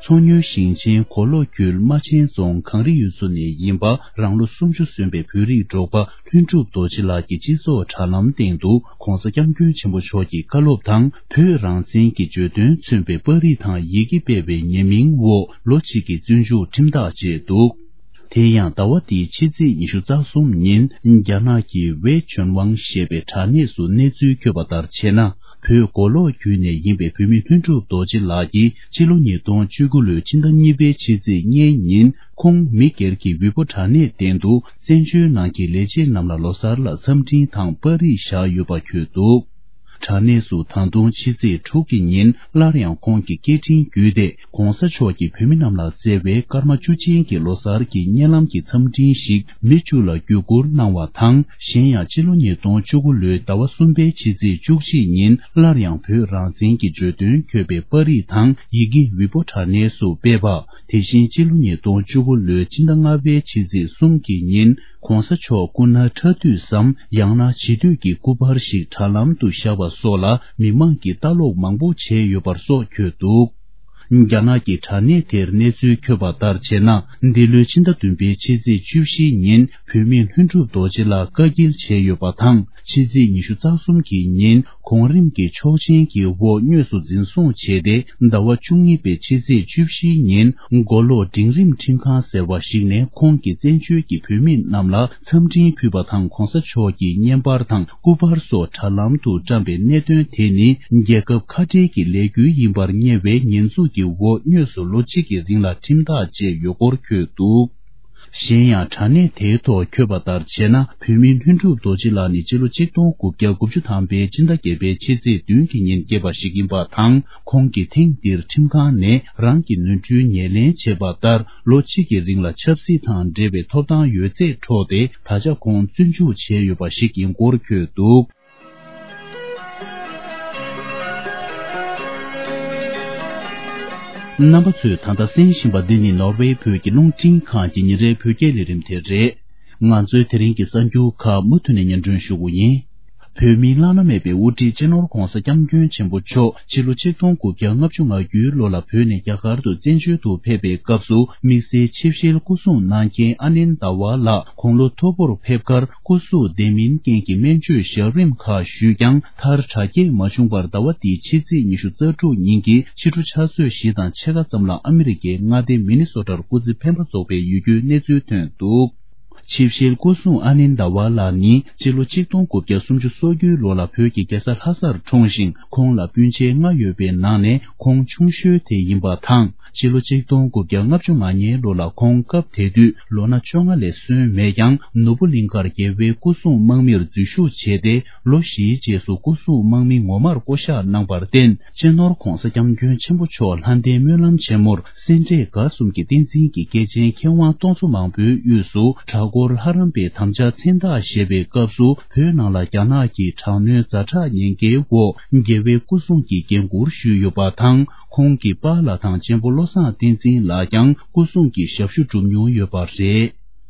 མཚོ་སྔོན་ཞིང་ཆེན་མགོ་ལོག་ཁུལ་རྨ་ཆེན་རྫོང་གངས་རི་ཡུལ་ཚོ་ནས་ཡིན་པ་རང་ལོ་སུམ་ཅུ་སོན་པའི་བོད་རིགས་འབྲོག་པ་ལྷུན་གྲུབ་རྡོ་རྗེ་ལགས་ཀྱི་སྤྱི་ཚོགས་དྲ་ལམ་སྟེང་དུ་༧གོང་ས་༧སྐྱབས་མགོན་ཆེན་པོ་མཆོག་གི་བཀའ་སློབ་དང་བོད་རང་བཙན་གྱི་བརྗོད་དོན་མཚོན་པའི་པར་རིས་དང་ཡི་གེ་སྤེལ་བའི་ཉེས་མིང་འོག་ལོ་གཅིག་གི་བཙོན་འཇུག་ཁྲིམས་ཐག་བཅད་འདུག་དེ་ཡང་ཟླ་བ་འདིའི་ཕྱི་ཚེས་ཉི་ཤུ་རྩ་གསུམ་ཉིན་རྒྱ་ནག་གི་ཝེ་ཆོན་ཝང་ཞེས་པའི་དྲ་གནས་སུ་གནས་ཚུལ་འཁོད་པ་ལྟར་བྱས་ན། བོད་མགོ་ལོག་ཁུལ་ནས་ཡིན་པའི་བོད་མི་ལྷུན་གྲུབ་རྡོ་རྗེ་ལགས་ཀྱིས་ཕྱི་ལོ་ཉིས་སྟོང་བཅུ་དགུ་ལོའི་ཕྱི་ཟླ་གཉིས་པའི་ཕྱི་ཚེས་ལྔའི་ཉིན་ཁོང་མི་སྒེར་གྱི་ཝེ་པོ་དྲ་གནས་སྟེང་དུ་བཙན་བྱོལ་ནང་གི་ལས་བྱེད་རྣམས་ལ་ལོ་གསར་ལ་འཚམས་འཕྲིན་དང་པར་རིས་བཞག་ཡོད་པ་འཁོད་འདུག་དྲ་གནས་སུ་ད་དུང་ཕྱི་ཚེས་དྲུག་གི་ཉིན་སླར་ཡང་ཁོང་གི་སྐད་འཕྲིན་བརྒྱུད་དེ། ྋགོང་ས་མཆོག་གིས་བོད་མི་རྣམས་ལ་བསྩལ་བའི་སྐར་མ་བཅུ་ཅན་གྱི་ལོ་གསར་གྱི་བརྙན་ལམ་གྱི་འཚམས་འཕྲིན་ཞིག་མི་བཅུ་ལ་བརྒྱུད་བསྐུར་གནང་བ་དང་། གཞན་ཡང་ཕྱི་ལོ་ཉིས་སྟོང་བཅུ་དགུ་ལོའི་ཟླ་བ་གསུམ་པའི་ཕྱི་ཚེས་བཅུ་གཅིག་ཉིན་སླར་ཡང་བོད་རང་བཙན་གྱི་བརྗོད་དོན་འཁོད་པའི་པར་རིས་དང་ཡི་གེ་ཝེ་པོ་དྲ་གནས་སུ་སྤེལ་བ། དེ་བཞིན་ཕྱི་ལོ་ཉིས་སྟོང་བཅུ་དགུ་ལོའི་ཕྱི་ཟླ་ལྔ་པའི་ཕྱི་ཚེས་གསུམ་གྱི་ཉིན་ྋགོང་ས་མཆོག་སྐུ་ན་ཕྲ་དུས་སམ་ཡང་ན་བྱིས་དུས་ཀྱི་སྐུ་པར་ཞིག་དྲ་ལམ་དུ་བཞག་པ་སོགས་ལ་མི་མང་གིས་ལྟ་ཀློག་མང་པོ་བྱས་ཡོད་པར་སོགས་འཁོད་འདུག་རྒྱ་ནག་གི་དྲ་གནས་དེར་གནས་ཚུལ་འཁོད་པ་ལྟར་བྱས་ན། འདི་ལོའི་ཕྱི་ཟླ་བདུན་པའི་ཕྱི་ཚེས་བཅུ་བཞི་ཉིན་བོད་མི་ལྷུན་གྲུབ་རྡོ་རྗེ་ལགས་བཀའ་འགྱེལ་བྱས་ཡོད་པ་དང་། ཕྱི་ཚེས་ཉི་ཤུ་རྩ་གསུམ་གྱི་ཉིན་གོང་རིམ་གྱི་ཆོག་མཆན་གྱི་འོག་དངོས་སུ་འཛིན་བཟུང་བྱས་ཏེ། ཟླ་བ་བཅུ་གཉིས་པའི་ཕྱི་ཚེས་བཅུ་བཞིའི་ཉིན་མགོ་ལོག་འབྲིང་རིམ་ཁྲིམས་ཁང་ཟེར་བ་ཞིག་ནས་ཁོང་གི་བཙན་བྱོལ་གྱི་བོད་མི་རྣམས་ལ་འཚམས་འཕྲིན་ཕུལ་བ་དང་། ྋགོང་ས་མཆོག་གི་བརྙན་པར་དང་སྐུ་པར་སོགས་དྲ་ལམ་དུ་བཀྲམ་པའི་གནད་དོན་དེ་ནི་རྒྱལ་ཁབ་ཁ་བྲལ་གྱི་ལས་འགུལ་ཡིན་པར་བསྙད་པའི་ཉེས་འཛུགས་ཀྱི་འོག་དངོས་སུ་ལོ་གཅིག་གི་རིང་ལ་ཁྲིམས་ཐག་བཅད་ཡོད་སྐོར་འཁོད་འདུག་གཞན་ཡང་དྲ་གནས་དེའི་ཐོག་འཁོད་པ་ལྟར་བྱས་ན། བོད་མི་ལྷུན་གྲུབ་རྡོ་རྗེ་ལགས་ནི་སྤྱི་ལོ་ཆིག་སྟོང་དགུ་བརྒྱ་དགུ་བཅུ་ཐམ་པའི་ཕྱི་ཟླ་བརྒྱད་པའི་ཕྱི་ཚེས་བདུན་གྱི་ཉིན་སྐྱེས་པ་ཞིག་ཡིན་པ་དང་། ཁོང་གིས་ཐེངས་འདིར་ཁྲིམས་ཁང་ནས་རང་གི་ནོར་འཁྲུལ་ངོས་ལེན་བྱས་པ་ལྟར། ལོ་གཅིག་གི་རིང་ལ་ཆབ་སྲིད་དང་འབྲེལ་བའི་ཐོབ་ཐང་ཡོད་ཚད་འཕྲོག་སྟེ། ད་ཆ་ཁོང་བཙོན་འཇུག་བྱས་ཡོད་པ་ཞིག་ཡིན་སྐོར་འཁོད་འདུག་རྣམ་པ་ཚོས་ད་ལྟ་གསན་བཞིན་པ་འདི་ནི་ནོར་ཝེ་བོད་ཀྱི་རླུང་འཕྲིན་ཁང་གི་ཉིན་རེའི་བོད་སྐད་ལས་རིམ་དེ་རེད། ང་ཚོའི་དེ་རིང་གི་གསར་འགྱུར་ཁག་མུ་མཐུད་ནས་སྙན་སྒྲོན་ཞུ་གི་ཡིན། བོད་མིའི་བླ་ན་མེད་པའི་དབུ་ཁྲིད་སྤྱི་ནོར་ྋགོང་ས་ྋསྐྱབས་མགོན་ཆེན་པོ་མཆོག་ཕྱི་ལོ་ཆིག་སྟོང་དགུ་བརྒྱ་ལྔ་བཅུ་ང་དགུའི་ལོ་ལ་བོད་ནས་རྒྱ་གར་དུ་བཙན་བྱོལ་དུ་ཕེབས་པའི་སྐབས་སུ། དམིགས་བསལ་ཆིབས་ཞལ་སྐུ་སྲུང་གནང་མཁན་ཨ་ནན་ཟླ་བ་ལགས་དགུང་ལོ་མཐོ་པོར་ཕེབས་ཁར། སྐུ་གཟུགས་བདེ་མིན་རྐྱེན་གྱིས་སྨན་བཅོས་ཞབས་རིམ་ཁག་ཞུས་ཀྱང་། མཐར་དྲག་སྐྱེད་མ་བྱུང་བར་ཟླ་བ་འདིའི་ཕྱི་ཚེས་ཉི་ཤུ་རྩ་དྲུག་ཉིན་གྱི་ཕྱི་དྲོ་ཆུ་ཚོད་བཞི་དང་ཕྱེད་ཀ་ཙམ་ལ་ཨ་མི་རི་ཀའི་མངའ་སྡེ་མི་ནི་སོ་ཊར་སྐུ་ཚེ་འཕེན་པ་རྫོགས་པའི་ཡོད་རྒྱུའི་གནས་ཚུལ་ཐོན་འདུག་ཆིབས་ཞལ་སྐུ་སྲུང་ཨ་ནན་ཟླ་བ་ལགས་ནི་སྤྱི་ལོ་ཆིག་སྟོང་དགུ་བརྒྱ་སུམ་ཅུ་སོ་དགུའི་ལོ་ལ་བོད་ཀྱི་རྒྱལ་ས་ལྷ་སར་འཁྲུངས་ཤིང་། ཁོང་ལ་སྤུན་མཆེད་ལྔ་ཡོད་པའི་ནང་ནས་ཁོང་ཆུང་ཤོས་དེ་ཡིན་པ་དང་། ཕྱི་ལོ་ཆིག་སྟོང་དགུ་བརྒྱ་ལྔ་བཅུ་ང་ལྔའི་ལོ་ལ་ཁོང་སྐབས་དེ་དུས་ལོ་ན་བཅོ་ལྔ་ལས་སོན་མེད་ཀྱང་། ནོར་བུ་གླིང་ཁར་རྒྱལ་བའི་སྐུ་སྲུང་དམག་མིར་འཛུལ་ཞུགས་བྱས་ཏེ། ལོ་བཞིའི་རྗེས་སུ་སྐུ་སྲུང་དམག་མི་ངོ་མར་བསྐོ་གཞག་གནང་བར་བརྟེན། སྤྱི་ནོར་ྋགོང་ས་ྋསྐྱབས་མགོན་ཆེན་པོ་མཆོག་ལྷ་ལྡན་སྨོན་ལམ་ཆེན་མོར་སེ་འབྲས་དགའ་གསུམ་གྱི་བསྟན་འཛིན་གྱི་སྐྱེས་ཆེན་མཁས་དབང་སྟོང་ཚོ་མང་པོའི་དབུས་སུ་གྲྭ་སྐོར་ལྷ་རམས་པའི་དམ་བཅའ་མཚན་རྟགས་བཞེས་པའི་སྐབས་སུ། བོད་ནང་ལ་རྒྱ་ནག་གི་དྲག་གནོན་ཛ་དྲག་ཉེན་ཁའི་འོག་རྒྱལ་བའི་སྐུ་སྲུང་གི་འགན་འཁུར་ཞུས་ཡོད་པ་དང་། ཁོང་གི་པཱ་ལགས་དང་གཅེན་པོ་བློ་བཟང་བསྟན་འཛིན་ལགས་ཀྱང་སྐུ་སྲུང་གི་ཞབས་ཞུ་བསྒྲུབས་མྱོང་ཡོད་པ་རེད།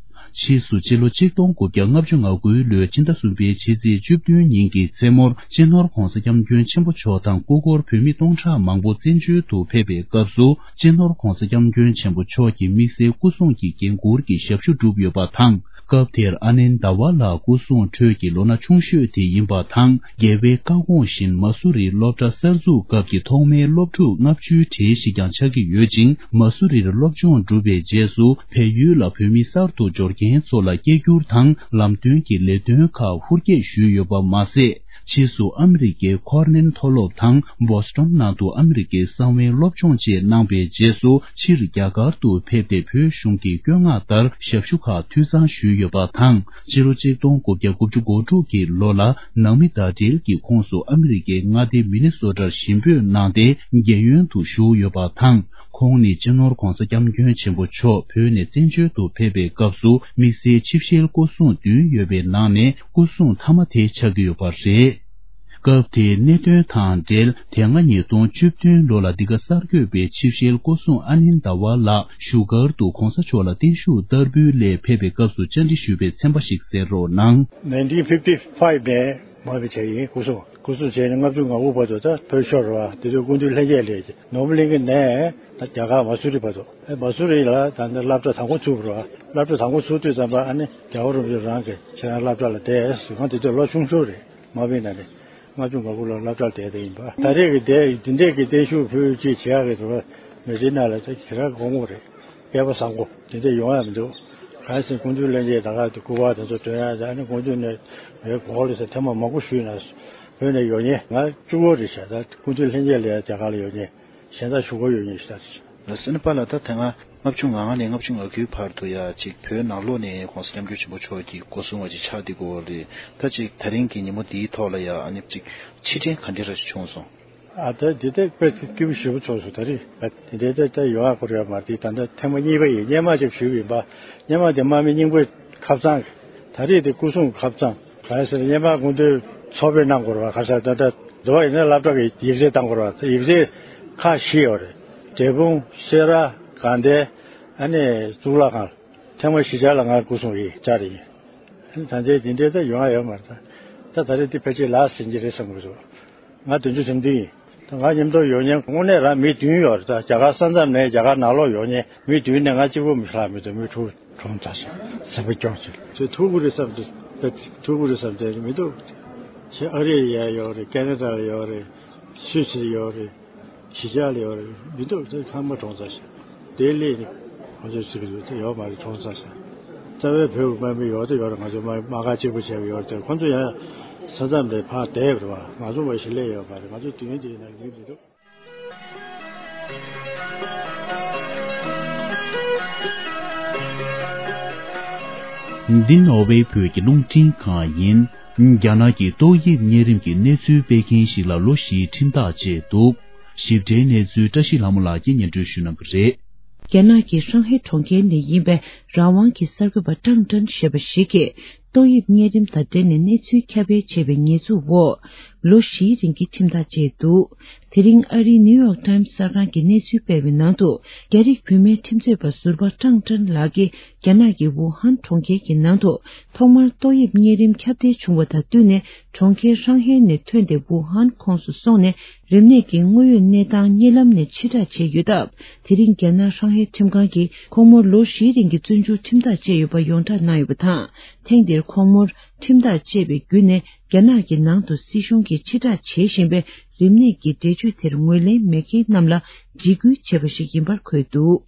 ཕྱིས་སུ་ཕྱི་ལོ་ཆིག་སྟོང་དགུ་བརྒྱ་ལྔ་བཅུ་ང་དགུའི་ལོའི་ཕྱི་ཟླ་གསུམ་པའི་ཕྱི་ཚེས་བཅུ་བདུན་ཉིན་གྱི་མཚན་མོར། སྤྱི་ནོར་ྋགོང་ས་ྋསྐྱབས་མགོན་ཆེན་པོ་མཆོག་དང་སྐུ་འཁོར་བོད་མི་སྟོང་ཕྲག་མང་པོ་བཙན་བྱོལ་དུ་ཕེབས་པའི་སྐབས་སུ། སྤྱི་ནོར་ྋགོང་ས་ྋསྐྱབས་མགོན་ཆེན་པོ་མཆོག་གིས་དམིགས་བསལ་སྐུ་སྲུང་གི་འགན་འཁུར་གྱི་ཞབས་ཞུ་བསྒྲུབས་ཡོད་པ་དང་། སྐབས་དེར་ཨ་ནན་ཟླ་བ་ལགས་སྐུ་སྲུང་ཁྲོད་ཀྱི་ལོ་ན་ཆུང་ཤོས་དེ་ཡིན་པ་དང་། རྒྱལ་བའི་བཀའ་དགོངས་བཞིན་མ་སུ་རིའི་སློབ་གྲྭ་གསར་འཛུགས་སྐབས་ཀྱི་ཐོག་མའི་སློབ་ཕྲུག་ལྔ་བཅུའི་གྲས་ཤིག་ཀྱང་ཆགས་ཀྱི་ཡོད་ཅིང་། མ་སུ་རིར་སློབ་སྦྱོང་བསྒྲུབས་པའི་རྗེས་སུ། བལ་ཡུལ་ལ་བོད་མི་གསར་དུ་འབྱོར་མཁན་ཚོ་ལ་སྐད་སྒྱུར་དང་ལམ་སྟོན་གྱི་ལས་དོན་ཁག་ཧུར་སྐྱེད་ཞུས་ཡོད་པ་མ་ཟད། ཕྱིས་སུ་ཨ་མི་རི་ཀའི་ཁོར་ནེལ་མཐོ་སློབ་དང་བོ་སི་ཊོན་ནང་དུ་ཨ་མི་རི་ཀའི་གསང་བའི་སློབ་སྦྱོང་བཅས་གནང་པའི་རྗེས་སུ། ཕྱིར་རྒྱ་གར་དུ་ཕེབས་ཏེ། བོད་གཞུང་གི་བཀོད་མངགས་ལྟར་ཞབས་ཞུ་ཁག་འཐུས་ཚང་ཞུས་ཡོད་པ་དང་། ཕྱི་ལོ་ཆིག་སྟོང་དགུ་བརྒྱ་དགུ་བཅུ་གོ་དྲུག་གི་ལོ་ལ་ནང་མི་ཟླ་སྒྲིལ་གྱི་ཁོངས་སུ་ཨ་མི་རི་ཀའི་མངའ་སྡེ་མི་ནི་སོ་ཊར་ཞིང་ཕེབས་གནང་སྟེ། རྒན་ཡོལ་དུ་བཞུགས་ཡོད་པ་དང་། ཁོང་ནི་སྤྱི་ནོར་༧གོང་ས་༧སྐྱབས་མགོན་ཆེན་པོ་མཆོག་བོད་ནས་བཙན་བྱོལ་དུ་ཕེབས་པའི་སྐབས་སུ། དམིགས་བསལ་ཆིབས་ཞལ་སྐུ་སྲུང་བདུན་ཡོད་པའི་ནང་ནས་སྐུ་སྲུང་མཐའ་མ་དེ་ཆགས་ཀྱི་ཡོད་པ་རེད། སྐབས་དེའི་གནད་དོན་དང་འབྲེལ། དེ་སྔ་ཉིས་སྟོང་བཅུ་བདུན་ལོ་ལ་འདི་ག་གསར་འགོད་པས་ཆིབས་ཞལ་སྐུ་སྲུང་ཨ་ནིན་ཟླ་བ་ལགས་བཞུགས་སྒར་དུ་༧གོང་ས་མཆོག་ལ་བརྟན་བཞུགས་བསྟར་འབུལ་སླད་ཕེབས་པའི་སྐབས་སུ་བཅར་འདྲི་ཞུས་པའི་ཚན་པ་ཞིག་གསན་རོགས་གནང་། ནའིན་ཊིན་ཕིབ་ཊི་ཕའིབ་ནས་མར་ཕེབས་བྱས་ཡིན། སྐུ་སྲུང་། སྐུ་སྲུང་བྱས་ནས་ལྔ་བཅུ་ང་དགུ་བར་དུ་ད་བོད་ཤོར་བ་དེ་དུས་སྐུ་མདུན་ལྷན་རྒྱས་ལས་ནོར་བུ་གླིང་གི་ནས་ད་རྒྱ་གར་མ་སུ་རི་བར་དུ། ཨེ་མ་སུ་རི་ལ་ད་ནི་སློབ་གྲྭ་དང་པོ་ཚུགས་པ་རེད་བ། སློབ་གྲྭ་དང་པོ་ཚུགས་དུས་ཙམ་པ་ཨ་ནི་རྒྱལ་བ་རིན་པོ་ཆེ་རང་གི་ཁྱེད་རང་སློབ་གྲྭ་ལ་བསྡད་ཟེར། ང་དེ་དུས་ལོ་ཆུང་ཤོས་རེད། མ་བིན་ན་ནི་ལྔ་བཅུ་ང་དགུ་ལོར་སློབ་གྲྭར་བསྡད་དེ་ཡིན་པ། ད་རེས་ཀྱི་དེ་འདི་འདྲས་ཀྱི་བརྟན་བཞུགས་ཕུལ་ཅིག་བྱེད་ཡག་གི་དུ་མི་རིགས་ནང་ལ་དེ་ག་རེ་དགོངས་པ་རེད། སྐལ་པ་བཟང་པོ་འདི་འདྲས་ཡོང་ཡག་མི་འདུག་གང་ཟེར་སྐུ་མདུན་ལྷན་རྒྱས་ད་ག་དུ་སྐུ་པར་དེ་ཚོ་སྟོན་ཡག་དང་ནི་སྐུ་མདུན་ནས་ངའི་གོ་ལ་ས་ཐེངས་མ་མང་པོ་ཞུས་ན་བོད་ནས་ཡོང་མཁན་ང་བཅུ་དགུ་རེད་ཤག་ད་སྐུ་མདུན་ལྷན་རྒྱས་ལ་ཡང་རྒྱ་གར་ལ་ཡོང་མཁན་གཞན་དག་བཞུགས་སྒར་ཡོང་མཁན་ཞིག་ད་རེད་ཤག་ལ་སེ་ན་པ་ལ་ད་དེ་སྔ་ལྔ་བཅུ་ང་ལྔ་ནས་ལྔ་བཅུ་ང་དགུའི་བར་དུ་ཡ་གཅིག་བོད་ནང་ལོགས་ནས་༧གོང་ས་༧སྐྱབས་མགོན་ཆེན་པོ་མཆོག་གི་སྐུ་སྲུང་བ་ཅིག་ཆགས་བསྡད་ཀྱི་ཡོད་རེད། ད་གཅིག་ད་རིང་གི་ཉིན་མོ་འདིའི་ཐོག་ལ་ཡ་ཨ་ནི་གཅིག་ཕྱིར་དྲན་ག་འདྲ་ར་ཞིག་བྱུང་སོང་། ཨ་ད་འདི་ད་དཔེ་སྐྱིད་པོ་ཞེ་པོ་ཚོགས་སོང་ད་རེས། ད་འདི་འདྲའི་ད་ད་ཡོང་ཡག་ཁོ་རེ་ཡོད་མ་རེད། ད་ད་ཐེངས་མ་གཉིས་པ་ཡིན། སྔོན་མ་ཅིག་ཞུས་པ་ཡིན་པ། སྔོན་མ་དེ་དམག་མི་རྙིང་པའི་ཁབ་གཙང་གི། ད་རེས་དེ་སྐུ་སྲུང་གི་ཁབ་གཙང་། ག་རེ་ཟེར་སྔོན་མ་སྐུ་མདུན་ཚོགས་ཕེབས་གནང་དགོས་རེད་བ། ག་ས་ད་ད་འགྲོ་བ་ཡིན་ན་སློབ་གྲྭ་གི་ཡིག་ཚད་བཏང་དགོས་རེད་བ། ཡིག་ཚད་ཁག་བཞི་ཡོད་རེད། འབྲས་སྤུངས། སེ་ར། དགའ་ལྡན། ཨ་ནི་གཙུག་ལག་ཁང་། ཐེངས་མ་བཞི་ཆར་ལ་ང་སྐུ་སྲུང་ཡིན་བཅར་ཡིན། ཨ་ནི་ད་ལྟའི་འདི་འདྲའི་ད་ཡོང་ཡ་ཡོད་མ་རེད་ད། ད་ད་རེས་འདི་ཕལ་ཆེར་ལགས་ཟིན་གྱི་རེད་བསམ་གྱི་འདུག་ང་བདུན་ཅུ་དོན་བདུན་ཡིན། ད་ང་མཉམ་དུ་ཡོང་མཁན་དངོས་གནས་རང་མི་བདུན་ཡོད་རེད། ད་རྒྱ་གར་ས་མཚམས་ནས་རྒྱ་གར་ནང་ལོགས་ཡོང་མཁན་མི་བདུན་ནས་ང་གཅིག་པོ་མི་ཤི་ལ་མི་འདུག་མི་དྲུག་གྲོངས་ཚར་སོང་། སེམས་པ་སྐྱོ་ཆེ། ཚོས་ཐུག་གི་རེད་བསམ་དུས་ད་ཐུག་གི་རེད་བསམ་དུས་མི་འདུག་ཆེ་ཨ་རི་ཡ་ཡོད་རེད། ཁེ་ན་ཌ་ལ་ཡོད་རེད། སུད་སི་ལ་ཡོད་རེད། གཞིས་ཆགས་ལ་ཡོད་རེད། མི་འདུག་དེ་ཚང་མ་གྲོངས་ཚར་ཤག་ལྡི་ལི་ནི་ཁོང་ཚོའི་ཚིག་རེད་དེ་ཡོད་མ་རེད། གྲོངས་ཚར་ཤག་རྩ་བའི་བོད་ཀྱི་དམག་མི་ཡོད་དེ་ཡོད་རེད། ང་ཚོ་དམག་དམག་སྒར་གཅིག་པུ་བྱས་པ་ཡོད་རེད་དེ་ཁོང་ཚོ་ཡང་ས་མཚམས་ནས་ཕར་བསྡད་པ་རེད་བ། ང་ཚོ་མ་གཞི་ལས་ཡོད་མ་རེད། ང་ཚོ་དུས་ཡུན་དེའི་ནང་ཡིན་མི་འདུག་འདི་ནོར་ཝེ་བོད་ཀྱི་རླུང་འཕྲིན་ཁང་ཡིན། རྒྱ་ནག་གི་ཏོག་དབྱིབས་གཉན་རིམས་ཀྱི་གནས་ཚུལ་སྤེལ་མཁན་ཞིག་ལ་ལོ་བཞིའི་ཁྲིམས་ཐག་བཅད་འདུག་ཞིབ་ཕྲའི་གནས་ཚུལ་བཀྲ་ཤིས་ལྷ་མོ་ལགས་ཀྱིས་སྙན་སྒྲོན་ཞུ་གནང་གི་རེད། རྒྱ་ནག་གི་ཧྲང་ཧའེ་གྲོང་ཁྱེར་ནས་ཡིན་པའི་རང་དབང་གི་གསར་འགོད་པ་ཀྲང་ཀྲན་ཞེས་པ་ཞིག་གིས། ཏོག་དབྱིབས་གཉན་རིམས་དང་འབྲེལ་ནས་གནས་ཚུལ་ཁྱབ་སྤེལ་བྱས་པའི་ཉེས་འཛུགས་འོག་ལོ་བཞིའི་རིང་གི་ཁྲིམས་ཐག་བཅད་འདུག་དེ་རིང་ཨ་རིའི་ནིའུ་ཡོག་ཊའིམ་གསར་ཁང་གིས་གནས་ཚུལ་སྤེལ་བའི་ནང་དུ། རྒྱ་རིགས་བུད་མེད་ཁྲིམས་རྩོད་པ་ཟུར་པ་ཀྲང་ཀྲན་ལགས་ཀྱིས་རྒྱ་ནག་གི་ཝུ་ཧན་གྲོང་ཁྱེར་གྱི་ནང་དུ་ཐོག་མར་ཏོག་དབྱིབས་གཉན་རིམས་ཁྱབ་གདལ་བྱུང་བ་དང་བསྟུན་ནས། གྲོང་ཁྱེར་ཧྲང་ཧའེ་ནས་ཐོན་ཏེ་ཝུ་ཧན་ཁོངས་སུ་སོང་ནས། རིམས་ནད་ཀྱི་དངོས་ཡོད་གནས་སྟངས་གཉིད་ལམ་ནས་ཕྱིར་བསྒྲགས་བྱས་ཡོད་སྟབས། དེ་རིང་རྒྱ་ནག་ཧྲང་ཧའེ་ཁྲིམས་ཁང་གིས་ཁོང་མོར་ལོ་བཞིའི་རིང་གི་བཙོན་འཇུག་ཁྲིམས་ཐག་བཅད་ཡོད་པ་ཡོངས་བསྒྲགས་གནང་ཡོད་པ་དང་། ཐེངས་འདིར་ཁོང་མོར་ཁྲིམས་ཐག་བཅད་པའི་བརྒྱུད་ནས། རྒྱ་ནག་གི་ནང་དུ་སྲིད་གཞུང་གིས་ཕྱིར་བསྒྲགས་བྱེད་བཞིན་པའི་རིམས་ནད་ཀྱི་འགྲེལ་བརྗོད་དེར་ངོས་ལེན་མེད་མཁན་རྣམས་ལ་འཇིགས་སྐུལ་བྱས་པ་ཞིག་ཡིན་པར་འཁོད་འདུག་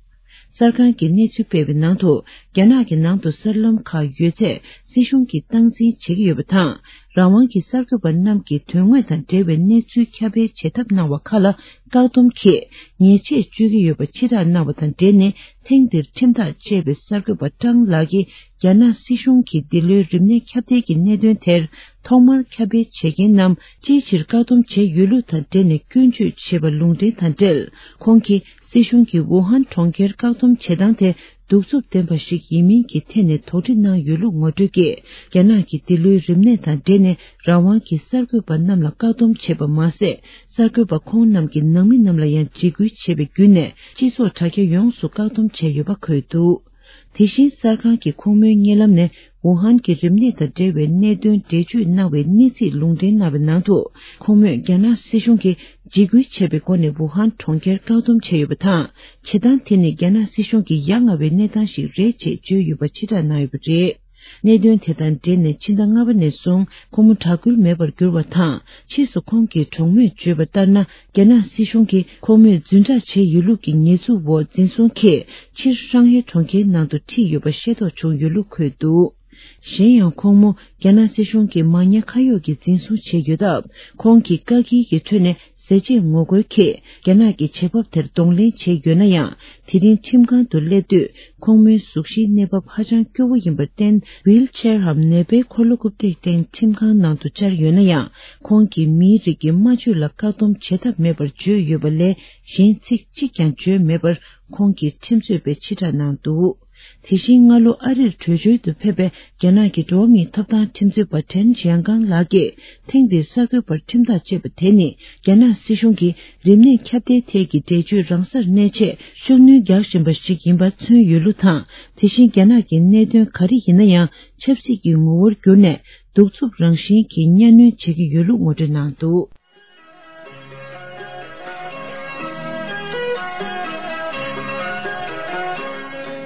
གསར་ཁང་གིས་གནས་ཚུལ་སྤེལ་བའི་ནང་དུ། རྒྱ་ནག་གི་ནང་དུ་གསར་ལམ་ཁག་ཡོད་ཚད་སྲིད་གཞུང་གིས་སྟངས་འཛིན་བྱེད་ཀྱི་ཡོད་པ་དང་། རང་དབང་གི་གསར་འགོད་པ་རྣམས་ཀྱིས་དོན་དངོས་དང་འབྲེལ་བའི་གནས་ཚུལ་ཁྱབ་སྤེལ་བྱེད་ཐབས་གནང་བ་ཁག་ལ་བཀག་སྡོམ་གྱིས་ཉེས་ཆད་གཅོད་ཀྱི་ཡོད་པ་ཕྱིར་བསྒྲགས་གནང་བ་དང་འབྲེལ་ནས། ཐེངས་འདིར་ཁྲིམས་ཐག་བཅད་པའི་གསར་འགོད་པ་ཀྲང་ལགས་ཀྱིས། རྒྱ་ནག་སྲིད་གཞུང་གིས་འདི་ལོའི་རིམས་ནད་ཁྱབ་གདལ་གྱི་གནད་དོན་དེར་ཐོག་མར་ཁྱབ་སྤེལ་བྱེད་མཁན་རྣམས་ཅིའི་ཕྱིར་བཀག་སྡོམ་བྱས་ཡོད་ལུགས་དང་འབྲེལ་ནས་སྐྱོན་བརྗོད་བྱས་པ་ལུང་འདྲེན་དང་འབྲེལ། ཁོང་གིས་སྲིད་གཞུང་གིས་ཝུ་ཧན་གྲོང་ཁྱེར་བཀག་སྡོམ་བྱེད་སྟངས་དེ་གདུག་རྩུབ་ལྡན་པ་ཞིག་ཡིན་མིན་གྱི་ཐད་ནས་དོགས་འདྲི་གནང་ཡོད་ལུགས་ངོ་སྤྲོད་ཀྱིས། རྒྱ་ནག་གིས་འདི་ལོའི་རིམས་ནད་དང་འབྲེལ་ནས་རང་དབང་གི་གསར་འགོད་པ་རྣམས་ལ་བཀག་སྡོམ་བྱས་པ་མ་ཟད། གསར་འགོད་པ་ཁོང་རྣམས་ཀྱི་ནང་མི་རྣམས་ལ་ཡང་འཇིགས་སྐུལ་བྱས་པའི་བརྒྱུད་ནས་སྤྱི་ཚོགས་དྲ་རྒྱ་ཡོངས་སུ་བཀག་སྡོམ་བྱས་ཡོད་པ་འཁོད་འདུག་དེ་བཞིན་གསར་ཁང་གིས་ཁོང་མོའི་གཉིད་ལམ་ནས་ཝུ་ཧན་གྱི་རིམས་ནད་དང་འབྲེལ་བའི་གནད་དོན་འགྲེལ་བརྗོད་གནང་བའི་གནས་ཚིག་ལུང་འདྲེན་གནང་བའི་ནང་དུ། ཁོང་མོས་རྒྱ་ནག་སྲིད་གཞུང་གིས་འཇིགས་སྐུལ་བྱས་པའི་སྒོ་ནས་ཝུ་ཧན་གྲོང་ཁྱེར་བཀག་སྡོམ་བྱས་ཡོད་པ་དང་། བྱེད་སྟངས་དེ་ནི་རྒྱ་ནག་སྲིད་གཞུང་གི་ཡ་ང་བའི་གནས་སྟངས་ཤིག་རེད་ཅེས་བརྗོད་ཡོད་པ་ཕྱིར་བསྒྲགས་གནང་ཡོད་པ་རེད། གནད་དོན་དེ་དང་འབྲེལ་ནས་ཕྱི་ཟླ་ལྔ་པ་ནས་བཟུང་ཁོང་མོ་དྲག་སྐུལ་མེད་པར་གྱུར་བ་དང་། ཕྱིས་སུ་ཁོང་གི་གྲོགས་མོས་བརྗོད་པ་ལྟར་ན། རྒྱ་ནག་སྲིད་གཞུང་གིས་ཁོང་མོས་རྫུན་བསྒྲགས་བྱས་ཡོད་ལུགས་ཀྱི་ཉེས་འཛུགས་འོག་འཛིན་བཟུང་གིས་ཕྱིར་ཧྲང་ཧའེ་གྲོང་ཁྱེར་ནང་དུ་ཁྲིད་ཡོད་པ་ཤེས་རྟོགས་བྱུང་ཡོད་ལུགས་འཁོད་འདུག་གཞན་ཡང་ཁོང་མོ་རྒྱ་ནག་སྲིད་གཞུང་གིས་མ་ཉེས་ཁ་གཡོགས་ཀྱིས་འཛིན་བཟུང་བྱས་ཡོད་སྟབས། ཁོང་གིས་བཀག་སྐྱིལ་གྱི་ཁྲོད་ནས་ཟས་བཅད་ངོ་རྒོལ་ཁེ་རྒྱ་ནག་གི་བྱེད་བབ་དེར་གདོང་ལེན་བྱས་ཡོད་ན་ཡང་། དེ་རིང་ཁྲིམས་ཁང་དུ་སླེབས་དུས། ཁོང་མོའི་གཟུགས་གཞིའི་གནས་བབ་ཧ་ཅང་སྐྱོ་བོ་ཡིན་པར་བརྟེན། ཝིལ་ཆེར་འམ་ནད་པའི་འཁོར་ལོ་རྐུབ་སྟེགས་སྟེང་ཁྲིམས་ཁང་ནང་དུ་བཅར་ཡོད་ན་ཡང་། ཁོང་གིས་མིའི་རིགས་ཀྱི་སྨྲ་བརྗོད་ལ་བཀག་སྡོམ་བྱེད་ཐབས་མེད་པར་བརྗོད་ཡོད་པ་ལས། གཞན་ཚིག་གཅིག་ཀྱང་བརྗོད་མེད་པར། ཁོང་གིས་ཁྲིམས་རྩོད་པའི་ཕྱིར་བསྒྲགས་གནང་འདུག་དེ་བཞིན་སྔ་ལོ་ཨ་རིར་བྲོས་བྱོལ་དུ་ཕེབས་པའི་རྒྱ་ནག་གི་འགྲོ་བ་མིའི་ཐོབ་ཐང་ཁྲིམས་རྩོད་པ་ཁྲེན་ཅན་ཀང་ལགས་ཀྱིས། ཐེངས་འདིའི་གསར་འགོད་པར་ཁྲིམས་ཐག་བཅད་པ་དེ་ནི། རྒྱ་ནག་སྲིད་གཞུང་གིས་རིམས་ནད་ཁྱབ་གདལ་ཐད་ཀྱི་འགྲེལ་བརྗོད་རང་སར་གནས་ཆེད་ཤུགས་སྣོན་རྒྱག་བཞིན་པ་ཞིག་ཡིན་པ་མཚོན་ཡོད་ལུགས་དང་། དེ་བཞིན་རྒྱ་ནག་གི་གནད་དོན་ག་རེ་ཡིན་ན་ཡང་ཆབ་སྲིད་ཀྱི་ངོ་བོར་བསྒྱུར་ནས། གདུག་རྩུབ་རང་བཞིན་གྱི་གཉའ་གནོན་བྱེད་ཀྱི་ཡོད་ལུགས་ངོ་སྤྲོད་གནང་འདུག་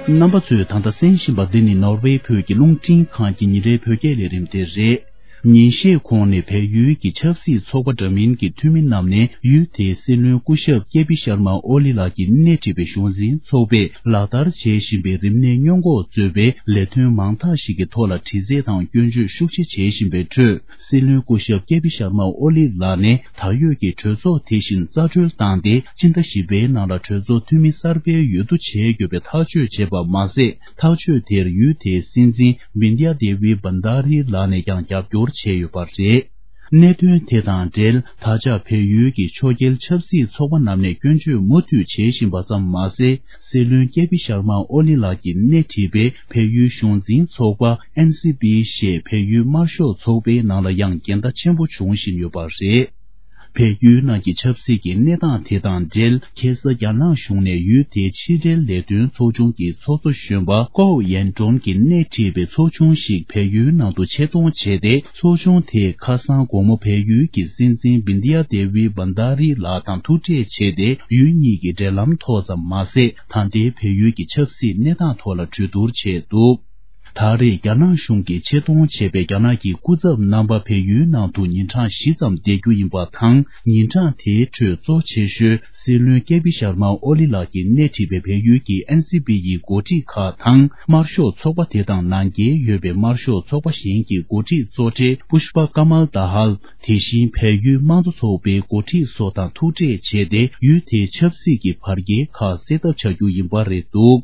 རྣམ་པ་ཚོས་ད་ལྟ་གསན་བཞིན་པ་འདི་ནི་ནོར་ཝེ་བོད་ཀྱི་རླུང་འཕྲིན་ཁང་གི་ཉིན་རེའི་བོད་སྐད་ལས་རིམ་དེ་རེད། ཉིན་ཤས་གོང་ནས་བལ་ཡུལ་གྱི་ཆབ་སྲིད་ཚོགས་པ་འདྲ་མིན་གྱི་འཐུས་མི་རྣམས་ནས་ཡུལ་དེའི་སྲིད་བློན་སྐུ་ཞབས་ཀེ་པི་ཤར་མ་ཨོ་ལི་ལགས་ཀྱིས་སྣེ་ཁྲིད་པའི་གཞུང་འཛིན་ཚོགས་པས་ལག་བསྟར་བྱེད་བཞིན་པའི་རིམས་ནད་སྔོན་འགོག་གཙོས་པའི་ལས་དོན་མང་དག་ཞིག་གི་ཐོག་ལ་དྲི་རྩད་དང་སྐྱོན་བརྗོད་ཤུགས་ཆེ་བྱེད་བཞིན་པའི་ཁྲོད། སྲིད་བློན་སྐུ་ཞབས་ཀེ་པི་ཤར་མ་ཨོ་ལི་ལགས་ནས་ད་ཡོད་ཀྱི་གྲོས་ཚོགས་དེ་བཞིན་རྩ་གྲོལ་བཏང་སྟེ། སྤྱི་ཟླ་བཞི་པའི་ནང་ལ་གྲོས་ཚོགས་འཐུས་མི་གསར་པའི་འོས་བསྡུ་བྱས་ཡོད་པའི་ཐག་གཅོད་བྱས་པ་མ་ཟད། ཐག་གཅོད་དེར་ཡུལ་དེའི་སྲིད་འཛིན་བིན་དི་ཡ་དེ་ཝི་བན་དཱ་རི་ལགས་ནས་ཀྱང་རྒྱབ་སྐྱོར་བྱས་ཡོད་པ་རེད། གནད་དོན་དེ་དང་འབྲེལ། ད་ཆ་བལ་ཡུལ་གྱི་ཕྱོགས་འགལ་ཆབ་སྲིད་ཚོགས་པ་རྣམས་ནས་སྐྱོན་བརྗོད་མུ་མཐུད་བྱེད་བཞིན་པ་ཙམ་མ་ཟད། སྲིད་བློན་ཀེ་པི་ཤར་མ་ཨོ་ལི་ལགས་ཀྱིས་སྣེ་ཁྲིད་པའི་བལ་ཡུལ་གཞུང་འཛིན་ཚོགས་པ་ཨེན་སི་པི་ཞེས་བལ་ཡུལ་དམར་ཤོག་ཚོགས་པའི་ནང་ལ་ཡང་འགལ་ཟླ་ཆེན་པོ་འབྱུང་བཞིན་ཡོད་པ་རེད། བལ་ཡུལ་ནང་གི་ཆབ་སྲིད་ཀྱི་གནས་སྟངས་དེ་དང་འབྲེལ། ཁ་སང་རྒྱ་ནག་གཞུང་ནས་ཡུལ་དེའི་ཕྱི་འབྲེལ་ལས་དོན་ཚོགས་ཆུང་གི་ཚོགས་གཙོ་གཞོན་པ་ཀོའུ་ཡན་ཀྲོན་གྱིས་སྣེ་ཁྲིད་པའི་ཚོགས་ཆུང་ཞིག་བལ་ཡུལ་ནང་དུ་ཆེད་གཏོང་བྱས་ཏེ། ཚོགས་ཆུང་དེས་ཁ་སང་དགོང་མོ་བལ་ཡུལ་གྱི་སྲིད་འཛིན་བིན་དི་ཡ་དེ་ཝི་བན་དཱ་རི་ལགས་དང་ཐུག་འཕྲད་བྱས་ཏེ། ཡུལ་གཉིས་ཀྱི་འབྲེལ་ལམ་ཐོག་ཙམ་མ་ཟད། ད་ལྟའི་བལ་ཡུལ་གྱི་ཆབ་སྲིད་གནས་སྟངས་ཐོག་ལ་གྲོས་བསྡུར་བྱས་འདུག་ད་རེས་རྒྱ་ནག་གཞུང་གིས་ཆེད་གཏོང་བྱས་པའི་རྒྱ་ནག་གི་སྐུ་ཚབ་རྣམ་པ་བལ་ཡུལ་ནང་དུ་ཉིན་གྲངས་བཞི་ཙམ་བསྡད་རྒྱུ་ཡིན་པ་དང་། ཉིན་གྲངས་དེའི་ཁྲོད་གཙོ་ཆེ་ཤོས་སྲིད་བློན་ཀེ་པི་ཤར་མ་ཨོ་ལི་ལགས་ཀྱིས་སྣེ་ཁྲིད་པའི་བལ་ཡུལ་གྱི་ཨེན་སི་པི་ཡི་འགོ་ཁྲིད་ཁག་དང་། དམར་ཤོག་ཚོགས་པ་དེ་དང་ནང་འགལ་ཡོད་པའི་དམར་ཤོག་ཚོགས་པ་གཞན་གྱི་འགོ་ཁྲིད་གཙོ་གྲས་པུཤ་པ་ཀ་མལ་དཱ་ཧལ། དེ་བཞིན་བལ་ཡུལ་དམངས་གཙོ་ཚོགས་པའི་འགོ་ཁྲིད་སོགས་དང་ཐུག་འཕྲད་བྱས་ཏེ། ཡུལ་དེའི་ཆབ་སྲིད་ཀྱི་བར་བརྒལ་ཁག་སེལ་ཐབས་བྱ་རྒྱུ་ཡིན་པ་རེད་འདུག་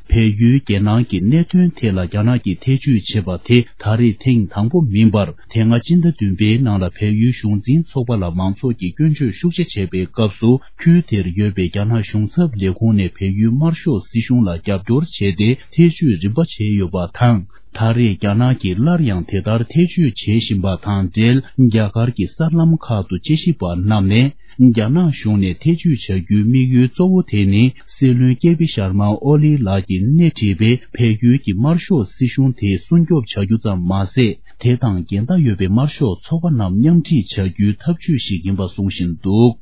བལ་ཡུལ་རྒྱལ་ནང་གི་གནད་དོན་ཐད་ལ་རྒྱ་ནག་གིས་ཐེ་བྱུས་བྱས་པ་དེ་ད་རེས་ཐེངས་དང་པོ་མིན་པར། དེ་སྔ་སྤྱི་ཟླ་བདུན་པའི་ནང་ལ་བལ་ཡུལ་གཞུང་འཛིན་ཚོགས་པ་ལ་མང་ཚོགས་ཀྱིས་སྐྱོན་བརྗོད་ཤུགས་ཆེ་བྱས་པའི་སྐབས་སུ། ཁུལ་དེར་ཡོད་པའི་རྒྱ་ནག་གཞུང་ཚབ་ལས་ཁུངས་ནས་བལ་ཡུལ་དམར་ཤོག་སྲིད་གཞུང་ལ་རྒྱབ་སྐྱོར་བྱས་ཏེ། ཐེ་བྱུས་རིམ་པ་བྱས་ཡོད་པ་དང་། ད་རེས་རྒྱ་ནག་གིས་སླར་ཡང་དེ་ལྟར་ཐེ་བྱུས་བྱེད་བཞིན་པ་དང་འབྲེལ། རྒྱ་གར་གྱི་གསར་ལམ་ཁག་ཏུ་དཔྱད་ཞིབ་པ་རྣམས་ནས། རྒྱ་ནག་གཞུང་ནས་ཐེ་བྱུས་བྱ་རྒྱུའི་དམིགས་ཡུལ་གཙོ་བོ་དེ་ནི། སྲིད་བློན་ཀེ་པི་ཤར་མ་ཨོ་ལི་ལགས་ཀྱིས་སྣེ་ཁྲིད་པའི་བལ་ཡུལ་གྱི་དམར་ཤོག་སྲིད་གཞུང་དེ་སྲུང་སྐྱོབ་བྱ་རྒྱུ་ཙམ་མ་ཟད། དེ་དང་འགལ་ཟླ་ཡོད་པའི་དམར་ཤོག་ཚོགས་པ་རྣམས་མཉམ་ཁྲིད་བྱ་རྒྱུའི་ཐབས་ཇུས་ཤིག་ཡིན་པ་གསུང་བཞིན་འདུག་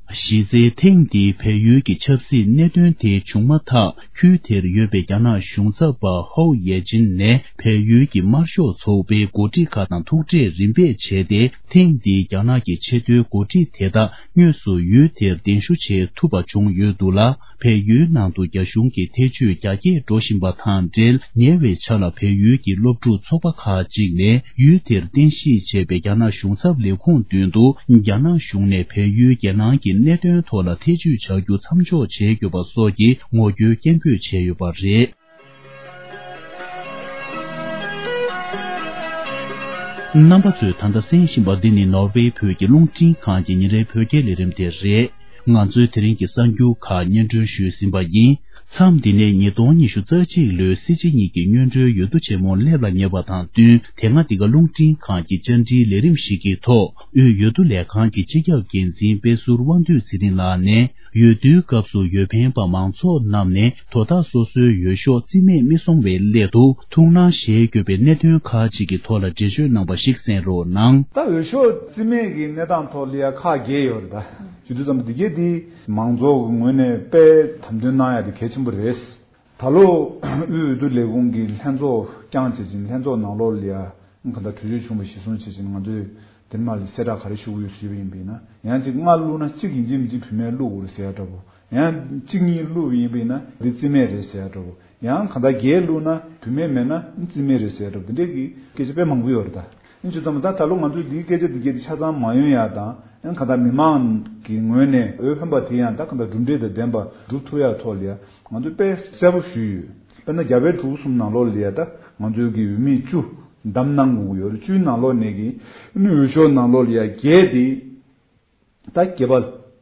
གཞི་རྩའི་ཐེངས་འདིའི་བལ་ཡུལ་གྱི་ཆབ་སྲིད་གནད་དོན་དེ་བྱུང་མ་ཐག་ཁུལ་དེར་ཡོད་པའི་རྒྱ་ནག་གཞུང་ཚབ་པ་ཧོའུ་ཡེ་ཅིན་ནས། བལ་ཡུལ་གྱི་དམར་ཤོག་ཚོགས་པའི་འགོ་ཁྲིད་ཁག་དང་ཐུག་འཕྲད་རིམ་པས་བྱས་ཏེ། ཐེངས་འདིའི་རྒྱ་ནག་གི་ཆེས་མཐོའི་འགོ་ཁྲིད་དེ་དག་དངོས་སུ་ཡུལ་དེར་གདན་ཞུ་བྱེད་ཐུབ་པ་བྱུང་ཡོད་འདུག་ལ། བལ་ཡུལ་ནང་དུ་རྒྱ་གཞུང་གི་ཐེ་བྱུས་རྒྱ་སྐྱེད་འགྲོ་བཞིན་པ་དང་འབྲེལ། ཉེ་བའི་ཆར་ལ་བལ་ཡུལ་གྱི་སློབ་ཕྲུག་ཚོགས་པ་ཁག་ཅིག་ནས། ཡུལ་དེར་རྟེན་གཞི་བྱས་པའི་རྒྱ་ནག་གཞུང་ཚབ་ལས་ཁུངས་མདུན་དུ། རྒྱ་ནག་གཞུང་ནས་བལ་ཡུལ་རྒྱལ་ནང་གི་གནད་དོན་ཐོག་ལ་ཐེ་བྱུས་བྱ་རྒྱུ་མཚམས་འཇོག་བྱས་ཡོད་པ་སོགས་ཀྱི་ངོ་རྒོལ་སྐད་འབོད་བྱས་ཡོད་པ་རེད། རྣམ་པ་ཚོས་ད་ལྟ་གསན་བཞིན་པ་འདི་ནི་ནོར་ཝེ་བོད་ཀྱི་རླུང་འཕྲིན་ཁང་གི་ཉིན་རེའི་བོད་སྐད་ལས་རིམ་དེ་རེད། ང་ཚོའི་དེ་རིང་གི་གསར་འགྱུར་ཁག་སྙན་སྒྲོན་ཞུས་ཟིན་པ་ཡིན། མཚམས་འདི་ནས་ཉིས་སྟོང་ཉི་ཤུ་རྩ་གཅིག་ལོའི་སྲིད་སྤྱི་གཉིས་ཀྱི་སྔོན་འགྲོའི་འོས་བསྡུ་ཆེན་མོ་སླེབས་ལ་ཉེ་བ་དང་བསྟུན། དེ་སྔ་འདི་ག་རླུང་འཕྲིན་ཁང་གི་བཅར་འདྲིའི་ལས་རིམ་ཞིག་གི་ཐོག་དབུས་འོས་བསྡུ་ལས་ཁང་གི་སྤྱི་ཁྱབ་འགན་འཛིན་དཔལ་ཟུར་དབང་འདུས་ཚེ་རིང་ལགས་ནས། འོས་བསྡུའི་སྐབས་སུ་འོས་འཕེན་པ་མང་ཚོགས་རྣམས་ནས་དོ་བདག་སོ་སོའི་འོས་ཤོག་རྩིས་མེད་མི་སོང་བའི་སླད་དུ་ཐུགས་སྣང་བཞེས་དགོས་པའི་གནད་དོན་ཁག་ཅིག་གི་ཐོག་ལ་འགྲེལ་བརྗོད་གནང་བ་ཞིག་གསན་རོགས་གནང་། ད་འོས་ཤོག་རྩིས་མེད་ཀྱི་གནས་སྟངས་ཐོག་ལ་ཡ་ཁག་བརྒྱད་ཡོད་རེད་ད། བྱེད་དུས་ཙམ་འདི་གས་འདི་མང་ཚོགས་ཀྱི་ངོས་ནས་དཔེ་དམ་དོན་གནང་ཡ་དེ་གལ་ཆེན་པོ་རེད། ད་ལོ་དབུས་འོས་བསྡུ་ལས་ཁུངས་ཀྱི་ལྷན་ཚོགས་བསྐྱངས་བྱེད་ཅིང་ལྷན་ཚོགས་ནང་ལོགས་ལ་ཡ་གང་ལྟར་གྲོས་ཆོད་བྱུང་བ་གཞིར་བཟུང་བྱེད་ཅིང་ང་ཚོས་དེར་མ་ལ་གསལ་བསྒྲགས་ག་རེ་ཞུ་དགོས་ཞུས་པ་ཡིན་པས་ན། ཡང་ཅིག་ལྔ་བླུགས་ན་གཅིག་ཡིན་གཅིག་མིན་གཅིག་བུད་མེད་བླུགས་དགོས་རེད་ཟེར་ཡ་འདྲ་པོ། ཡང་གཅིག་གཉིས་བླུགས་ཡིན་པས་ན་འདི་རྩིས་མེད་རེད་ཟེར་འགྲོ། ཡང་གང་ལྟར་བརྒྱད་བླུགས་ན་བུད་མེད་མེད་ན་རྩིས་མེད་རེད་ཟེར་འགྲོ། འདི་འདྲའི་གི་སྐད་ཆ་དཔེ་མང་པོ་ཡོད་རེད་ད། ཨིན་ཅི་ཙམ་ད་ད་ལོ་ང་ཚོས་འདིའི་སྐད་ཆ་འདི་སྐད་ཆ་ཆ་ཚང་མ་ཡོང་ཡ་དང་། ཨིན་གང་ལྟར་མི་མང་གི་ངོས་ནས་འོས་འཕེན་པ་དེ་ཡང་ད་གང་ལྟར་གྲུབ་འབྲས་དང་ལྡན་པ་སྒྲུབ་ཐུབ་ཡ་ཐོག་ལ་ཡ་ང་ཚོས་དཔེ་གསལ་པོ་ཞུས་ཡོད། དཔེར་ན་རྒྱ་བལ་འབྲུག་གསུམ་ནང་ལོགས་ལ་ཡ་ད་ང་ཚོའི་གི་འོས་མི་བཅུ་བདམས་གནང་དགོས་ཀྱི་ཡོད་རེད། བཅུའི་ནང་ལོགས་ནས་གི་ཨིན་འོས་ཤོག་ནང་ལོགས་ལ་ཡ་བརྒྱད་དེ། ད་སྐྱེས་པ་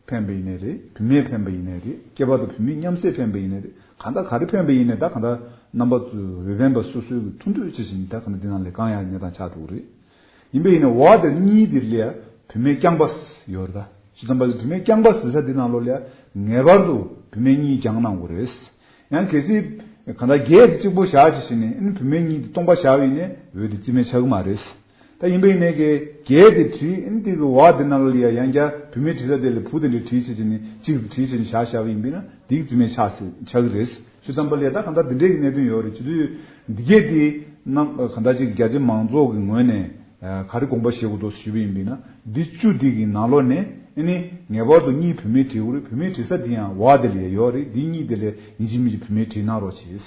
འཕེན་པ་ཡིན་ནའི་རེད། བུད་མེད་འཕེན་པ་ཡིན་ནའི་རེད། སྐྱེས་པ་དང་བུད་མེད་མཉམ་བསྲེས་འཕེན་པ་ཡིན་ནའི་རེད། གང་ལྟར་ག་རེ་འཕེན་པ་ཡིན་ནའི་ད་གང་ལྟར་རྣམ་པ་ཚོས་འོས་འཕེན་པ་སོ་སོའི་གི་ཐུགས་འདོད་ཅི་བཞིན་ད་གང་ལྟར་འདི་ནང་ལས་བཀང་ཡག་གནས་སྟངས་ཆགས་འགྲོ་གི་རེད། ཡིན་པ་ཡིན་ནའི་འོ་དེ་གཉིས་དེ་ལ་ཡ་བུད་མེད་རྐྱང་པ་ཡོད་རེད། ད་ཇི་ཙམ་པ་བུད་མེད་རྐྱང་པ་ཟེར་ས་འདི་ནང་ལོགས་ལ་ཡ་ངེས་པར་དུ་བུད་མེད་གཉིས་བརྒྱངས་གནང་དགོས་རེད། ཡང་གལ་སྲིད་གང་ལྟར་བརྒྱད་དེ་གཅིག་པོ་བཞག་ཅིག་བྱས་ནས་ཨ་ནི་བུད་མེད་གཉིས་དེ་སྟོང་པ་བཞག་པ་ཡིན་ནའི་འོས་དེ་རྩིས་མེད་ཆགས་ཀྱི་མ་རེད། ད་ཡིན་པ་ཡིན་ནའི་གི་བརྒྱད་དེ་བྲིས་ཨ་ནི་དེ་གི་འོ་དེ་ནང་ལ་ཡ་ཡང་བསྐྱར་བུད་མེད་བྲིས་ས་དེ་ལ་བུ་དེ་འདྲ་བྲིས་བྱས་ཅིག་ནི་གཅིག་ཏུ་བྲིས་བྱས་ནས་བཞག་བཞག་པ་ཡིན་པས་ན་དེ་གི་རྩིས་མེད་ཆགས་ཆགས་ཀྱི་རེད། ཇི་ཙམ་པ་ལ་ཡ་ད་གང་ལྟར་འདི་འདྲའི་གི་གནད་དོན་ཡོད་རེད། བྱེད་དུས་འདི་གས་དེ་རྣམ་གང་ལྟར་ཅིག་རྒྱ་ཆེ་མང་ཚོགས་ཀྱི་ངོས་ནས། ག་རེ་དགོངས་པ་བཞེས་དགོས་འདུག་ཞུས་པ་ཡིན་པས་ན་འདི་བཅུ་འདི་གི་ནང་ལོགས་ནས་ཨ་ནི་ངེས་པར་དུ་གཉིས་བུད་མེད་བྲིས་དགོས་རེད། བུད་མེད་བྲིས་ས་འདི་ཡང་འོ་དེ་ལ་ཡོད་རེད། འདི་གཉིས་དེ་ལ་ཡིན་གཅིག་མིན་གཅིག་བུད་མེད་བྲིས་གནང་རོགས་གྱིས།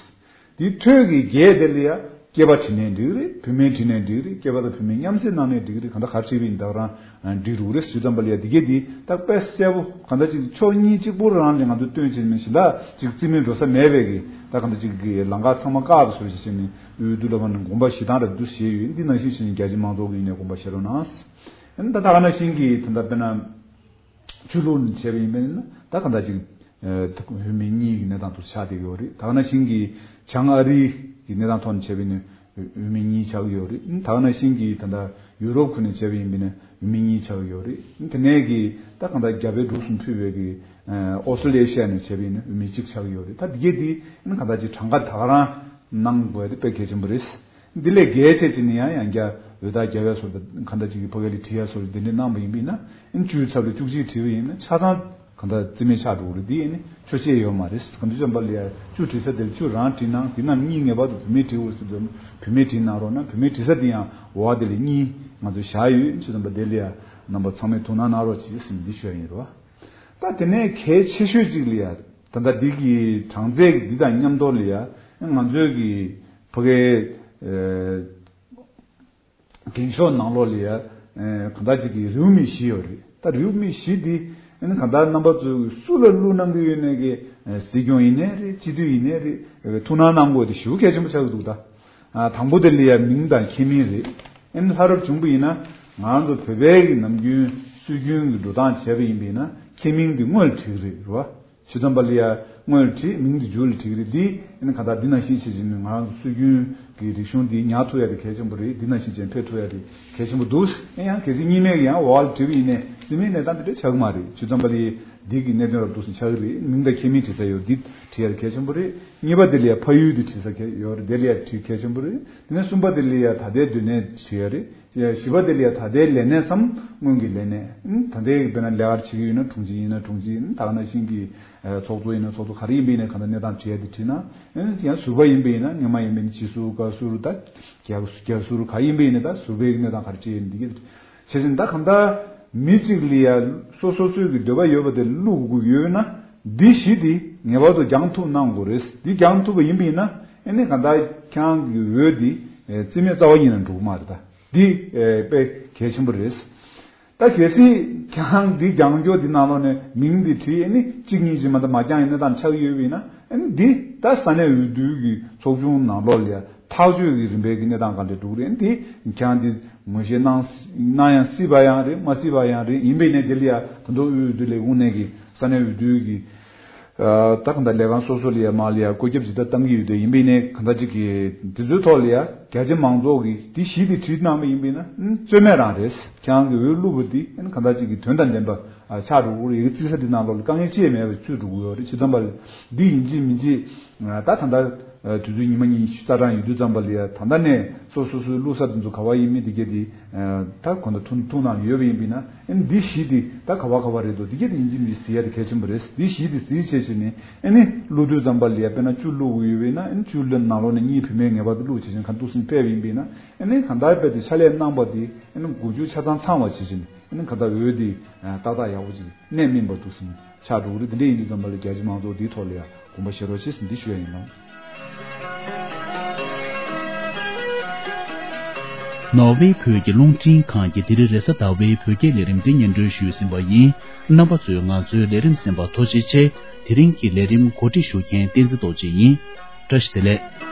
འདི་ཐོད་ཀྱི་བརྒྱད་དེ་ལ་ཡ་སྐྱེས་པ་བྲིས་ནའི་འགྲིག་རེད། བུད་མེད་བྲིས་ནའི་འགྲིག་རེད། སྐྱེས་པ་དང་བུད་མེད་མཉམ་བསྲེས་གནང་ནའི་འགྲིག་རེད། གང་ལྟར་ག་རེ་བྲིས་པ་ཡིན་ད་ག་རང་འགྲིག་རུག་རེད། ཇི་ཙམ་པ་ལ་ཡ་འདི་གས་འདི་ད་དཔེ་གསལ་པོ་གང་ལྟར་ཅིག་ཕྱོགས་གཉིས་གཅིག་པོ་རང་ལ་ང་ཚོས་སྟོན་བྱས་ནས་གཞན་དག་ཅིག་རྩིས་མེད་འགྲོ་ས་མེད་པའི་གི་ད་གང་ལྟར་ཅིག་གི་ལམ་ཁ་ཚང་མ་བཀག་པ་བཟོ་བྱས་བྱས་ནས། འོས་བསྡུ་ལ་བར་ནས་དགོངས་པ་བཞེས་སྟངས་རབ་ཏུ་བཞེས་ཡོད། འདི་ནང་བཞིན་བྱས་ནས་རྒྱ་ཆེ་མང་ཚོགས་ཀྱི་ངོས་ནས་དགོངས་པ་བཞེས་རོགས་གནང་། ཨ་ནི་ད་ད་ག་ནང་བཞིན་གྱི་ད་ལྟ་དཔེར་ན་ཆོས་ལུགས་ནས་བྱས་པ་ཡིན་པས་ན་ད་ག་འདྲ་ཅིག་ཨ་བུད་མེད་གཉིས་ཀྱི་གནས་སྟངས་དུ་ཆགས་བསྡད་ཀྱི་ཡོད་རེད། ད་ག་ནང་བཞིན་གྱི་བྱང་ཨ་རི་གི་གནས་སྟངས་ཐོག་ནས་བྱས་པ་ཡིན་ན་བུད་མེད་གཉིས་ཆགས་ཀྱི་ཡོད་རེད། ད་ག་ནང་བཞིན་གྱི་ད་ལྟ་ཡུ་རོབ་ཁུལ་ནས་བྱས་པ་ཡིན་པས་ན་བུད་མེད་གཉིས་ཆགས་ཀྱི་ཡོད་རེད། དེ་ནས་གི་ད་ག་འདྲ་རྒྱ་བལ་འབྲུག་གསུམ་ཕུད་པའི་གི་ཨོ་སི་ཊེ་ལེ་ཤི་ཡ་ནས་བྱས་པ་ཡིན་ན་བུད་མེད་གཅིག་ཆགས་ཀྱི་ཡོད་རེད། ད་འདི་གས་འདི་ཨ་ནི་ག་འདྲ་ཅིག་གྲངས་ཀ་ད་ག་རང་གནང་དགོས་ཡ་དེ་དཔེ་གལ་ཆེན་པོ་རེད། འདི་ལས་རྒྱས་བྱས་ཅིག་ནི་ཡང་ཡང་བསྐྱར་འོས་རྟགས་རྒྱབ་ཡ་སོགས་དང་གང་ལྟར་ཅིག་གི་ཕ་གི་ལ་བྲིས་ཡ་སོགས་འདི་འདྲ་གནང་པ་ཡིན་པས་ན་ཨ་ནི་བཅུའི་ཚབ་ལ་བཅུ་གཅིག་བྲིས་པ་ཡིན་ན་ཆ་ཚང་གང་ལྟར་རྩིས་མེད་ཆགས་འགྲོ་གི་རེད། འདི་ཨ་ནི་ཆོག་མཆན་ཡོད་མ་རེད། གང་ལྟར་ཙམ་པ་ལ་ཡ་བཅུ་བྲིས་ས་དེར་བཅུ་རང་བྲིས་ན་འདི་རྣམས་གཉིས་ངེས་པར་དུ་བུད་མེད་བྲིས་དགོས་ཟེར་དུས་བུད་མེད་བྲིས་གནང་རོགས་གནང་། བུད་མེད་བྲིས་ས་དེ་ཡང་འོ་དེ་ལ་གཉིས་ང་ཚོ་བཞག་ཡོད། ཅི་ཙམ་པ་དེ་ལ་ཡ་རྣམ་པ་ཚང་མས་ཐུགས་སྣང་གནང་རོགས་གྱིས་ཟེར་འདི་ཞུ་ཡ་ཡིན་རོ། ད་དེ་ནས་གལ་ཆེ་ཤོས་གཅིག་ལ་ཡ་ད་ལྟ་འདི་གི་གྲངས་ཚད་འདི་དང་མཉམ་དུ་ལ་ཡ་ང་ཚོའི་གི་ཕ་གའི་ཨ་འགེངས་ཤོག་ནང་ལོགས་ལ་ཡ་ཨ་གང་ལྟར་ཅིག་གི་རེའུ་མིག་བཞི་ཡོད་རེད། ད་རེའུ་མིག་བཞི་འདི་ཨ་ནི་གང་ལྟར་རྣམ་པ་ཚོས་སུ་ལ་བླུགས་གནང་གི་ཡོད་ནའི་གི་ཨ་སྲིད་སྐྱོང་ཡིན་ནའི་རེད། སྤྱི་འཐུས་ཡིན་ནའི་རེད། ཐུགས་སྣང་གནང་དགོས་དེ་ཞེ་པོ་གལ་ཆེན་པོ་ཆགས་ཀྱི་འདུག་ད་ཨ་དང་པོ་དེ་ལ་ཡ་མིང་དང་ཁྱད་མིང་རེད། ཨ་ནི་ལྷ་རབ་བྱུང་པ་ཡིན་ན་ང་ཚོ་བོད་པའི་གི་ནམ་རྒྱུན་སྲོལ་རྒྱུན་གི་འགྲོ་སྟངས་བྱས་པ་ཡིན་པ་ཡིན་ན་ཁྱད་མིང་འདི་དངོས་ལ་བྲིས་ཀྱི་རེད་རེད་བ། ཇི་ཙམ་པ་ལ་ཡ་དངོས་ལ་བྲིས། མིང་འདི་མཇུག་ལ་བྲིས་ཀྱི་རེད། འདི་ཨ་ནི་གང་ལྟར་འདི་ནང་བཞིན་བྱེད་ཀྱི་ནི་ང་རང་ཚོ་སྲོལ་རྒྱུན་གྱི་རིག་གཞུང་འདི་ཉར་ཐུབ་ཡ་དེ་གལ་ཆེན་པོ་རེད། འདི་ནང་བཞིན་བྱས་ཕེབས་ཐུབ་ཡ་དེ་གལ་ཆེན་པོ་འདུག་ཨེ་ཡང་གལ་སྲིད་གཉིས་མེད་ཀྱི་ཡང་འོག་ལ་བྲིས་པ་ཡིན་ནའི་རྩིས་མེད་གནས་སྟངས་འདི་འདྲ་ཆགས་ཀྱི་མ་རེད། ཇི་ཙམ་པ་ལ་ཡ་འདི་གི་གནད་དོན་རབ་འདུག་སེ་ཆགས་ཀྱི་རེད། མིང་དང་ཁྱད་མིང་བྲིས་ས་ཡོད། འདི་བྲིས་ཡ་དེ་གལ་ཆེན་པོ་རེད། གཉིས་པ་དེ་ལ་ཡ་ཕ་ཡུལ་འདི་བྲིས་ས་གལ་ཡོད་རེད། དེ་ལ་ཡ་བྲིས་གལ་ཆེན་པོ་རེད། དེ་ནས་གསུམ་པ་དེ་ལ་ཡ་ད་ལྟའི་སྡོད་གནས་བྲིས་ཡ་རེད། བཞི་པ་དེ་ལ་ཡ་ད་ལྟའི་ལས་གནས་སམ་སྔོན་གྱི་ལས་གནས། ད་ལྟའི་དཔེར་ན་ལས་ཀ་བྱེད་ཀྱི་ཡོད་ན་དྲུང་ཆེ་ཡིན་ན་དྲུང་ཆེ་ཡིན། ད་ག་ནང་བཞིན་གྱི་ཚོགས་གཙོ་ཡིན་ན་ཚོགས་གཙོ་ག་རེ་ཡིན་པ་ཡིན་ན་གང་ལྟར་གནས་སྟངས་བྲིས་ཡ་དེ་བྲིས་ན། ཡང་ཟུར་པ་ཡིན་པ་ཡིན་ན་སྔོན་མ་ཡིན་པ་ཡིན་ན་སྤྱི་ཟུར་བཀའ་ཟུར་ད་རྒྱ་རྒྱ་ཟུར་ག་ཡིན་པ་ཡིན་ན་ད་ཟུར་པའི་གནས་སྟངས་ག་རེ་བྱས་ཡིན་འདི་གི་བྱས་ཙང་ད་གང་ལྟར་མི་གཅིག་ལ་ཡ་སོ་སོ་སོའི་གི་འདོད་པ་ཡོད་པ་དེ་བླུག་དགོས་ཡོད་ན་འདི་བཞི་དེ་ངེས་པར་དུ་རྒྱང་ཐུབ་གནང་དགོས་རེད། འདི་རྒྱང་ཐུབ་པ་ཡིན་པ་ཡིན་ན་ཨ་ནི་གང་ལྟར་ཁྱེད་རང་གི་འོས་འདི་རྩིས་མེད་རྩ་བ་ཉིད་ནས་འགྲོ་གི་མ་རེད། ད་འདི་དཔེ་གལ་ཆེན་པོ་རེད། ད་གལ་སྲིད་ཁྱེད་རང་འདི་རྒྱང་སྐྱོར་འདི་ནང་ལོགས་ནས་མིང་འདི་བྲིས་ཨ་ནི་གཅིག་གཉིས་ཀྱིས་མ་གཏོགས་མ་རྒྱང་ཡི་གནས་སྟངས་ཆགས་ཀྱི་ཡོད་པ་ཡིན་ན་ཨ་ནི་འདི་ད་ས་གནས་འོས་བསྡུ་གི་ཚོགས་ཆུང་ནང་ལོགས་ལ་ཡ་ཐག་གཅོད་ཀྱི་རིམ་པའི་གི་གནས་སྟངས་ག་ལེར་འགྲོ་གི་རེད། ཨ་ནི་འདི་ཁྱེད་རང་འདི་ངོས་བཞེས་གནང་གནང་ཡང་སྲིད་པ་ཡང་རེད། མ་སྲིད་པ་ཡང་རེད། ཡིན་པ་ཡིན་ནའི་འདི་ལ་ཡ་ད་དུང་འོས་བསྡུ་ལས་ཁུངས་ནས་གི་ས་གནས་འོས་བསྡུ་གི་ད་གང་ལྟར་ལས་ཁང་སོ་སོ་ལ་ཡ་མ་ལ་ཡ་བཀོད་ཁྱབ་ཇི་ལྟར་བཏང་གི་ཡོད་དེ་ཡིན་པ་ཡིན་ནའི་གང་ལྟར་ཅིག་གི་དེ་ཚོའི་ཐོག་ལ་ཡ་རྒྱ་ཆེ་མང་ཚོགས་ཀྱིས་དེ་གཞི་དེ་བྲིས་གནང་བ་ཡིན་པ་ཡིན་ན་རྩོད་མེད་རང་རེད། ཁྱེད་རང་གི་འོས་བླུགས་པ་དེ་གང་ལྟར་ཅིག་གི་དོན་དང་ལྡན་པ་ཆགས་འགྲོ་གི་རེད། ཡི་གེ་བརྩི་ས་དེ་ནང་ལོགས་ལ་དཀའ་ངལ་ཅི་ཡང་མེད་པ་ཚུད་འགྲོ་གི་ཡོད་རེད། ཇི་ཙམ་པ་ལ་འདི་ཡིན་གཅིག་མིན་གཅིག་ད་གང་ལྟར་ དུས་ཚོད་ཉི་མ་གཉིས་རྩ་གྲངས་ཡོད་དུས་ཙམ་པ་ལ་ཡ། ད་ལྟ་ནས་སོ་སོ་སོའི་བླུགས་ས་དེ་ཚོ་ག་བ་ཡིན་མིན་དེ་གས་དེ་ད་གོ་ད་ཐུགས་ཐུགས་ནང་ཡོད་པ་ཡིན་པས་ན། ཨ་ནི་འདི་བཞི་དེ་ད་ག་བ་ག་བ་རེད་འདུག་དེ་གས་དེ་ཡིན་གཅིག་མིན་གཅིག་གཟིགས་ཡ་དེ་གལ་ཆེན་པོ་རེད། འདི་བཞི་དེ་གཟིགས་བྱས་བྱས་ནས། ཨ་ནི་བླུགས་དུས་ཙམ་པ་ལ་ཡ་དཔེར་ན་བཅུ་བླུགས་དགོས་ཡོད་པས་ན། ཨ་ནི་བཅུ་ལ་ནང་ལོགས་ནས་གཉིས་བུད་མེད་ངེས་པར་དུ་བླུགས་བྱས་བྱས་ཁ་འདུག་སེ་ཕེབས་ཡིན་པས་ན། ཨ་ནི་གང་ལྟར་དཔེ་དེ་ཕྱག་ལས་གནང་བ་དེ་ཨ་ནི་མགོ་མཇུག་ཆ་ཚང་ཚང་བ་བྱས་བྱས་ནས། ཨ་ནི་གང་ལྟར་འོད་དེ་ཏག་ཏག་ཡག་པོ་ཅིག་གནད་སྨིན་པ་འདུག་སེ་ཆགས་འགྲོ་གི་རེད། དེ་འདྲ་ཡིན་དུས་ཙམ་པ་ལ་རྒྱ་ཆེ་མང་ཚོགས་འདིའི་ཐོག་ལ་ཡ་དགོངས་པ་བཞེས་རོགས་བྱེད་ཟེར་འདི་ཞུ་ཡ་ཡིན་ལགས། ནོར་ཝེ་བོད་ཀྱི་རླུང་འཕྲིན་ཁང་གིས་དེ་རིང་རེས་གཟའ་ཟླ་བའི་བོད་སྐད་ལས་རིམ་འདི་སྙན་སྒྲོན་ཞུས་ཟིན་པ་ཡིན། རྣམ་པ་ཚོས་ང་ཚོའི་ལས་རིམ་གསན་པར་ཐུགས་རྗེ་ཆེ། དེ་རིང་གི་ལས་རིམ་གོ་སྒྲིག་ཞུ་མཁན་བསྟན་འཛིན་རྡོ་རྗེ་ཡིན། བཀྲ་ཤིས་བདེ་ལེགས།